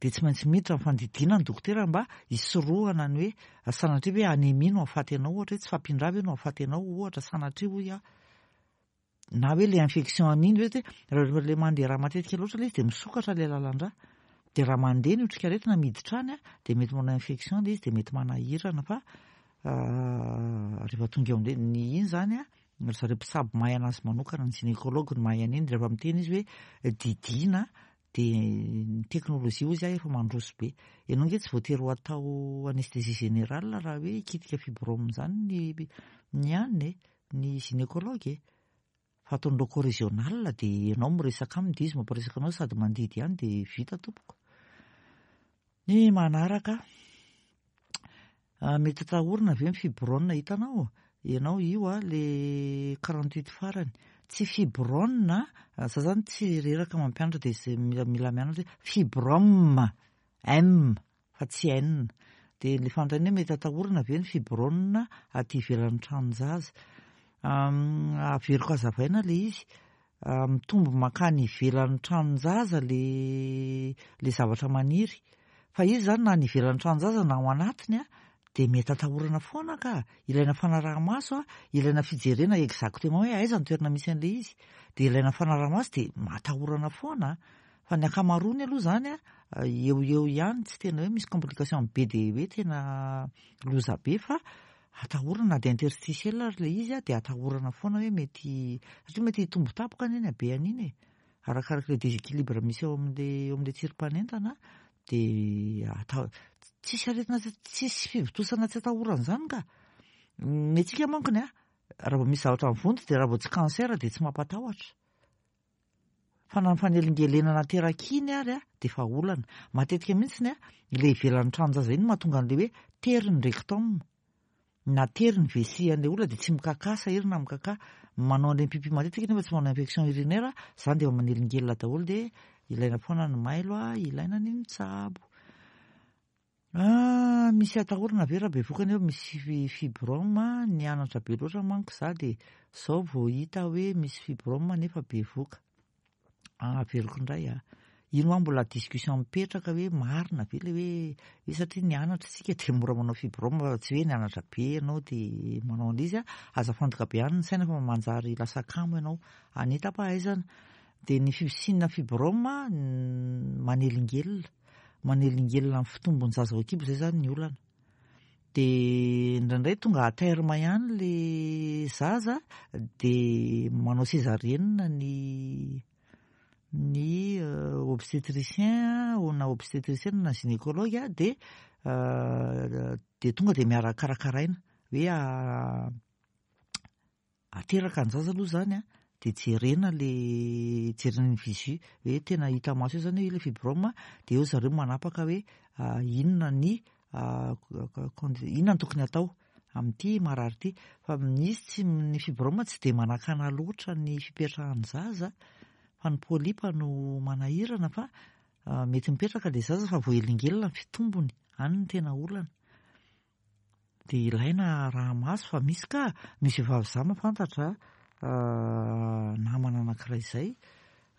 Dia tsy maintsy miditra amin'ny fandidiana ny dokotera mba hisorohana ny hoe sanatria ve anémie no hahafaty anao ohatra hoe tsy fahampian-drà ve no hahafaty anao ohatra sanatria hoy aho. Na hoe le infection an'iny ve hoe rehefa le mandeha rà matetika loatra le izy dia misokatra le lalan-drà. Dia raha mandeha ny otrikaretina miditra any dia mety manao infection le izy dia mety manahirana fa rehefa tonga eo amin'ilay ny iny izany an, ry zareo mpitsabo mahay anazy manokana, ny gynécologue no mahay an'iny, rehefa miteny izy hoe didiana dia ny teknolojia hozy aho efa mandroso be. Ianao ange tsy voatery ho atao anesthésie générale raha hoe hikitika fibrome izany ny ny anona e. Ny gynécologue e! Fa ataony loco régional dia ianao miresaka aminy dia izy mampiresaka anao sady mandidy ihany dia vita tompoko. Ny manaraka, mety atahorana ve ny fibrone hitanao? Ianao io a, le 48 farany. Tsy fibrone, za zany tsy reraka mampianatra dia izay mila mila mianatra hoe fibrome, M. fa tsy N. Dia ilay fanontaniana hoe mety atahorana ve ny fibrone aty ivelan'ny tranon-jaza? Averiko hazavaina ilay izy, mitombo mankany ivelan'ny tranon-jaza ilay ilay zavatra maniry. Fa izy izany na any ivelan'ny tranon-jaza na ao anatiny dia mety atahorana foana ka! Ilaina fanaraha-maso, ilaina fijerena exactement hoe aiza ny toerana misy an'ilay izy. Dia ilaina fanaraha-maso dia atahorana foana. Fa ny ankamaroany aloha izany an, eo ho eo ihany, tsy tena hoe misy complication be dia hoe tena loza be fa atahorana na dia interstitiel ary ilay izy an, dia atahorana foana hoe mety, satria mety hitombo tampoka anie ny habeany iny e, arakarak'ilay déséquilibre misy eo amin'ilay eo amin'ilay tsirim-panentana dia ata- tsisy aretina tsisy fivontosana tsy atahorana izany ka! Ny antsika mankony an, raha vao misy zavatra mivonto dia raha vao tsy cancer dia tsy mampatahotra. Fa na ny fanelingelenana aterak'iny ary dia efa olana. Matetika mihitsy ilay ivelan'ny tranon-jaza iny no mahatonga an'ilay hoe tery ny rectum. Na tery ny vessie an'ilay olona dia tsy mikakà, sahirana mikakà. Manao an'ireny pipi matetika nefa tsy manao infection urinaire, izany dia efa manelingelina daholo dia ilaina foana ny mailo, ilaina ny mitsabo. Ah, misy atahorana ve raha bevoka nefa misy fibrome? Nianatra be loatra manko za dia zao vao hita hoe misy fibrome nefa bevoka. Ah, averiko indray ah. Ino hoa mbola discussion mipetraka hoe marina ve le hoe hoe satria nianatra isika dia mora manao fibrome fa tsy hoe nianatra be ianao dia manao an'izy ah. Aza afantoka be any ny saina fa manjary lasa kamo ianao. Hanita-pahaizana. Dia ny fisiana fibrome manelingelina. Manelingelina ny fitombon'ny zaza ao an-kibo izay izany ny olana. Dia indraindray tonga à terme ihany le zaza dia manao césarienne ny ny obstétricien na obstétricienne na gynécologue dia dia tonga dia miara-karakaraina hoe Ateraka ny zaza aloha izany an, dia jerena le jerena ny visu hoe tena hita maso eo izany hoe ilay fibrome, dia eo zareo manapaka hoe inona ny inona no tokony atao amin'ity marary ity. Fa misy tsy ny fibrome tsy dia manakana loatra ny fipetrahan'ny zaza fa ny polype no manahirana fa mety mipetraka ilay zaza fa voahelingelina ny fitombony, any no tena olana. Dia ilaina araha-maso fa misy ka, misy vehivavy za mahafantatra namana anankiray izay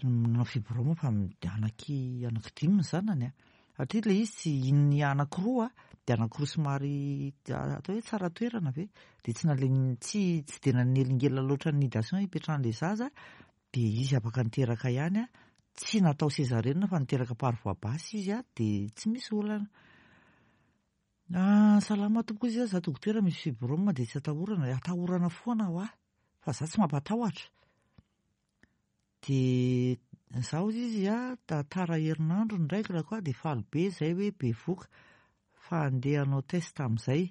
nanao fibrome fa anaky anaky dimy ny zanany a, satria ilay izy tsy iny anankiroa dia anankiroa somary atao hoe tsara toerana ve, dia tsy nalemy tsy tsy dia nanelingelina loatra ny nidation hipetrahan'ilay zaza dia izy afaka niteraka ihany a, tsy natao césarienne fa niteraka par voie basse izy a, dia tsy misy olana. Ah, salama tompoko izy za dokotera misy fibrome dia tsy atahorana, atahorana foana hoa fa za tsy mampatahotra. Dia za hozy izy a, tara herinandro ny règle-ko a, dia faly be zay hoe bevoka fa andeha hanao test amin'izay.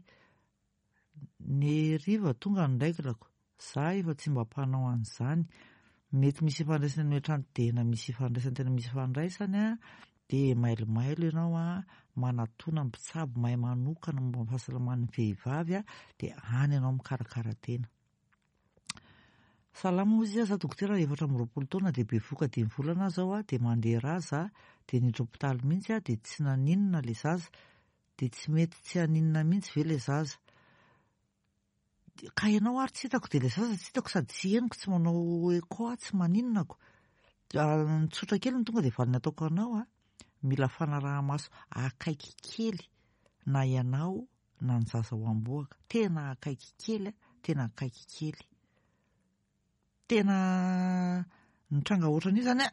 Ny hariva tonga ny règle-ko, za efa tsy mba mpanao an'izany. Mety misy ifandraisany amin'ny hatrany tena misy ifandraisany, tena misy ifandraisany a, dia mailomailo ianao a, manatona mpitsabo mahay manokana momba ny fahasalaman'ny vehivavy a, dia any ianao mikarakara tena. Salama hozy izy, za dokotera 24 taona dia bevoka 5 volana aho zao a, dia mandeha rà za, dia niditra hopitaly mihitsy aho, dia tsy naninona le zaza, dia tsy mety tsy haninona mihitsy ve le zaza? Ka ianao ary tsy hitako dia ilay zaza tsy hitako sady tsy henoko tsy manao echo aho tsy maninona ko. Ny tsotra kely no tonga dia valiny ataoko anao a, mila fanaraha-maso akaiky kely na ianao na ny zaza ao am-bohoka, tena akaiky kely a, tena akaiky kely. Tena nitranga ohatran'io zany a,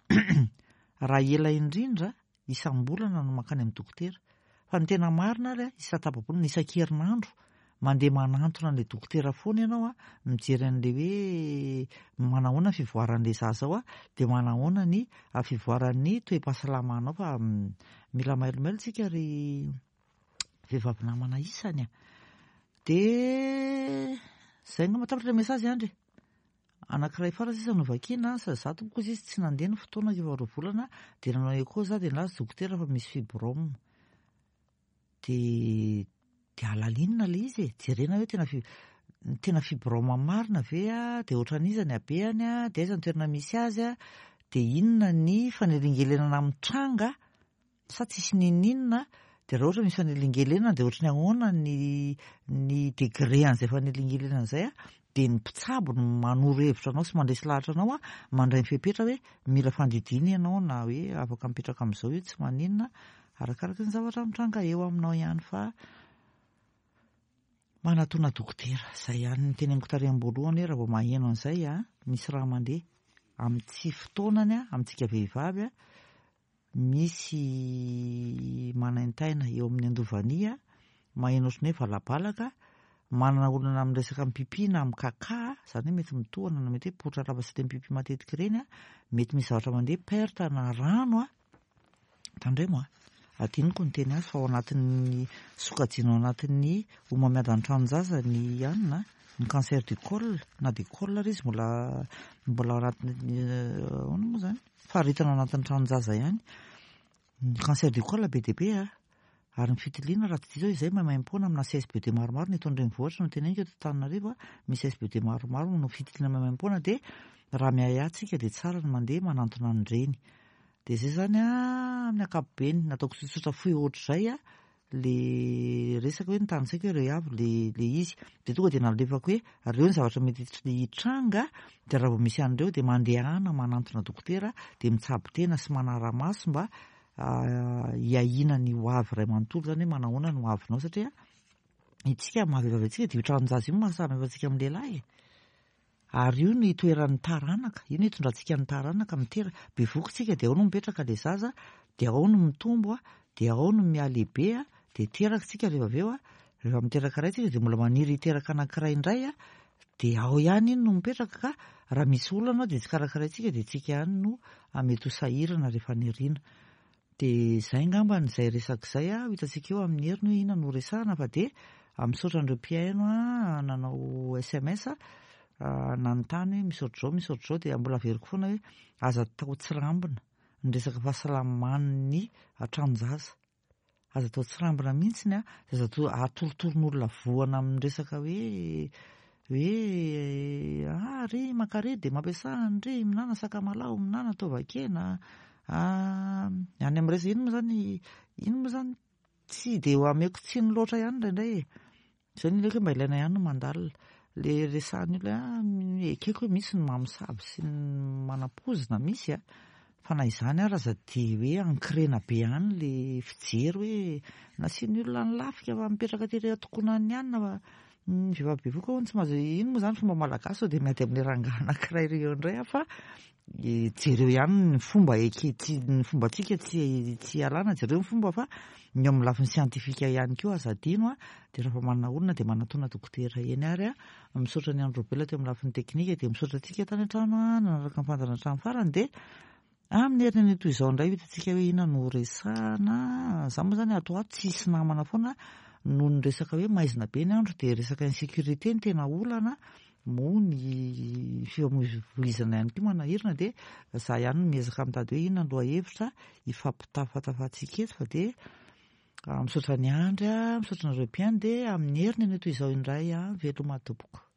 raha ela indrindra isam-bolana no mankany amin'ny dokotera. Fa ny tena marina ary a, isan-tapa-bolana, isan-kerinandro, mandeha manantona an'ilay dokotera foana ianao a, mijery an'ilay hoe manahoana ny fivoaran'ilay zaza ao a, dia manahoana ny fivoaran'ny toe-pahasalamanao fa mila mailomailo tsika ry vehivavy namana isany a. Dia zay angamba tapitra ilay message Andry e. Anankiray farany sisa no vakiana, sady za tompoko izy tsy nandeha ny fotoana efa 2 volana dia nanao echo za dia nilaza dokotera fa misy fibrome. Dia dia alalinina ilay izy e, jerena hoe tena tena fibrome marina ve a, dia ohatran'iza ny habehany a, dia aiza ny toerana misy azy a, dia inona ny fanelingelenana mitranga sa tsisy n'inon'inona, dia raha ohatra misy fanelingelenana dia ohatry ny ahoana ny ny degré an'izay fanelingelenana izay a, dia ny mpitsabo no manoro hevitra anao sy mandresy lahatra anao a, mandray ny fepetra hoe mila fandidiana ianao na hoe afaka mipetraka amin'izao io tsy maninona, arakaraka ny zavatra mitranga eo aminao ihany fa manatona dokotera. Izay ihany ny teneniko tary am-boalohany hoe raha vao maheno an'izay a, misy raha mandeha amin'ny tsy fotoanany a, amintsika vehivavy a, misy manaintaina eo amin'ny andovania, maheno ohatran'ny hoe valabalaka, manana olana amin'ny resaka mipipi na amin'ny kaka, izany hoe mety mitohana na mety hoe potra lava sy le mipipi matetika ireny, mety misy zavatra mandeha perte na rano, tandremo a, adinoko ny teny azy fa ao anatin'ny sokajiana ao anatin'ny homamiadan'ny tranon-jaza ny anona, ny cancer du col na du col ary izy mbola mbola ao anatin'ny ahoana moa izany? Faharetana ao anatin'ny tranon-jaza ihany. Ny cancer du col be dia be a. Ary ny fitiliana raha tsy diso aho izay maimaimpoana amina CSBD maromaro ny eto an-drenivohitra no teneniko eto Antananarivo a, misy CSBD maromaro manao fitiliana maimaimpoana dia raha miahiahy tsika dia tsara ny mandeha manantona an'ireny. Dia izay izany a, amin'ny ankapobeny nataoko tsotsotra fohy ohatr'izay a. le resaka hoe notanisaiko hoe ireo avy le le izy de tonga de nalefako hoe ireo ny zavatra mety hitranga de raha vao misy an'ireo de mandehana manantona dokotera de mitsabo tena sy manara-maso mba hiahiana ny ho avy iray manontolo zany hoe manahoana ny ho avinao satria itsika maha vehivavy antsika de io tranon-jaza io no maha samy hafa antsika amin'ny lehilahy e. Ary io no itoeran'ny taranaka, io no itondrantsika ny taranaka, mitera, bevohoka tsika dia ao no mipetraka ilay zaza, dia ao no mitombo, dia ao no mihalehibe, dia teraka tsika rehefa avy eo, rehefa miteraka iray tsika dia mbola maniry hiteraka anankiray indray, dia ao ihany iny no mipetraka ka raha misy olana ao dia tsy karakaraintsika dia tsika ihany no mety ho sahirana rehefa any aoriana. Dia izay angambany izay resaka izay ho hitantsika eo amin'ny heriny hoe inona no horesahana fa dia misaotra an'ireo mpihaino nanao sms nanontany hoe misy ohatr'izao misy ohatr'izao dia mbola averiko foana hoe aza atao tsirambina ny resaka fahasalaman'ny tranon-jaza. Aza atao tsirambina mihitsy a, aza atao atoritorin'olona voana amin'ny resaka hoe hoe ah ry mankary dia mampiasà an'ry mihinana sakamalaho, mihinana taovakena, ah any amin'ny resaka iny moa zany iny moa zany tsy dia ameko tsiny loatra ihany indraindray e. Zay no ileko hoe mba ilaina ihany ny mandalina. Le resahan'ny olona hoe ah ekeko hoe misy ny mamosavy sy ny manam-poizina misy a, fa na izany ary aza dia hoe ancrena be any le fijery hoe nasian'ny olona ny lafika fa mipetraka tery an-tokonan'ny anona fa ny vehivavy bevohoka hono tsy mahazo, iny moa zany fomba malagasy sao dia miady amin'ilay rangahy anankiray ry eo indray aho fa jereo ihany ny fomba eke, tsy ny fombantsika tsy tsy ialana, jereo ny fomba fa ny eo amin'ny lafiny siantifika ihany koa aza adino a, dia rehefa manana olona dia manatona dokotera eny ary a, misaotra an'i Andry Robela teo amin'ny lafiny teknika dia misaotra antsika tany an-trano a, nanaraka ny fandaharana hatramin'ny farany dia amin'ny heriny anio toy izao indray ho hitantsika hoe inona no horesahana, za moa zany ato ho ato tsy hisy namana foana noho ny resaka hoe maizina be ny andro dia resaka insécurité no tena olana moa ny fifamoivoizana ihany koa manahirana dia za ihany no miezaka mitady hoe inona ny lohahevitra hifampitafatafantsika eto fa dia misaotra an'i Andry a, misaotra anareo mpihaino dia amin'ny heriny anio toy izao indray a, veloma tompoko.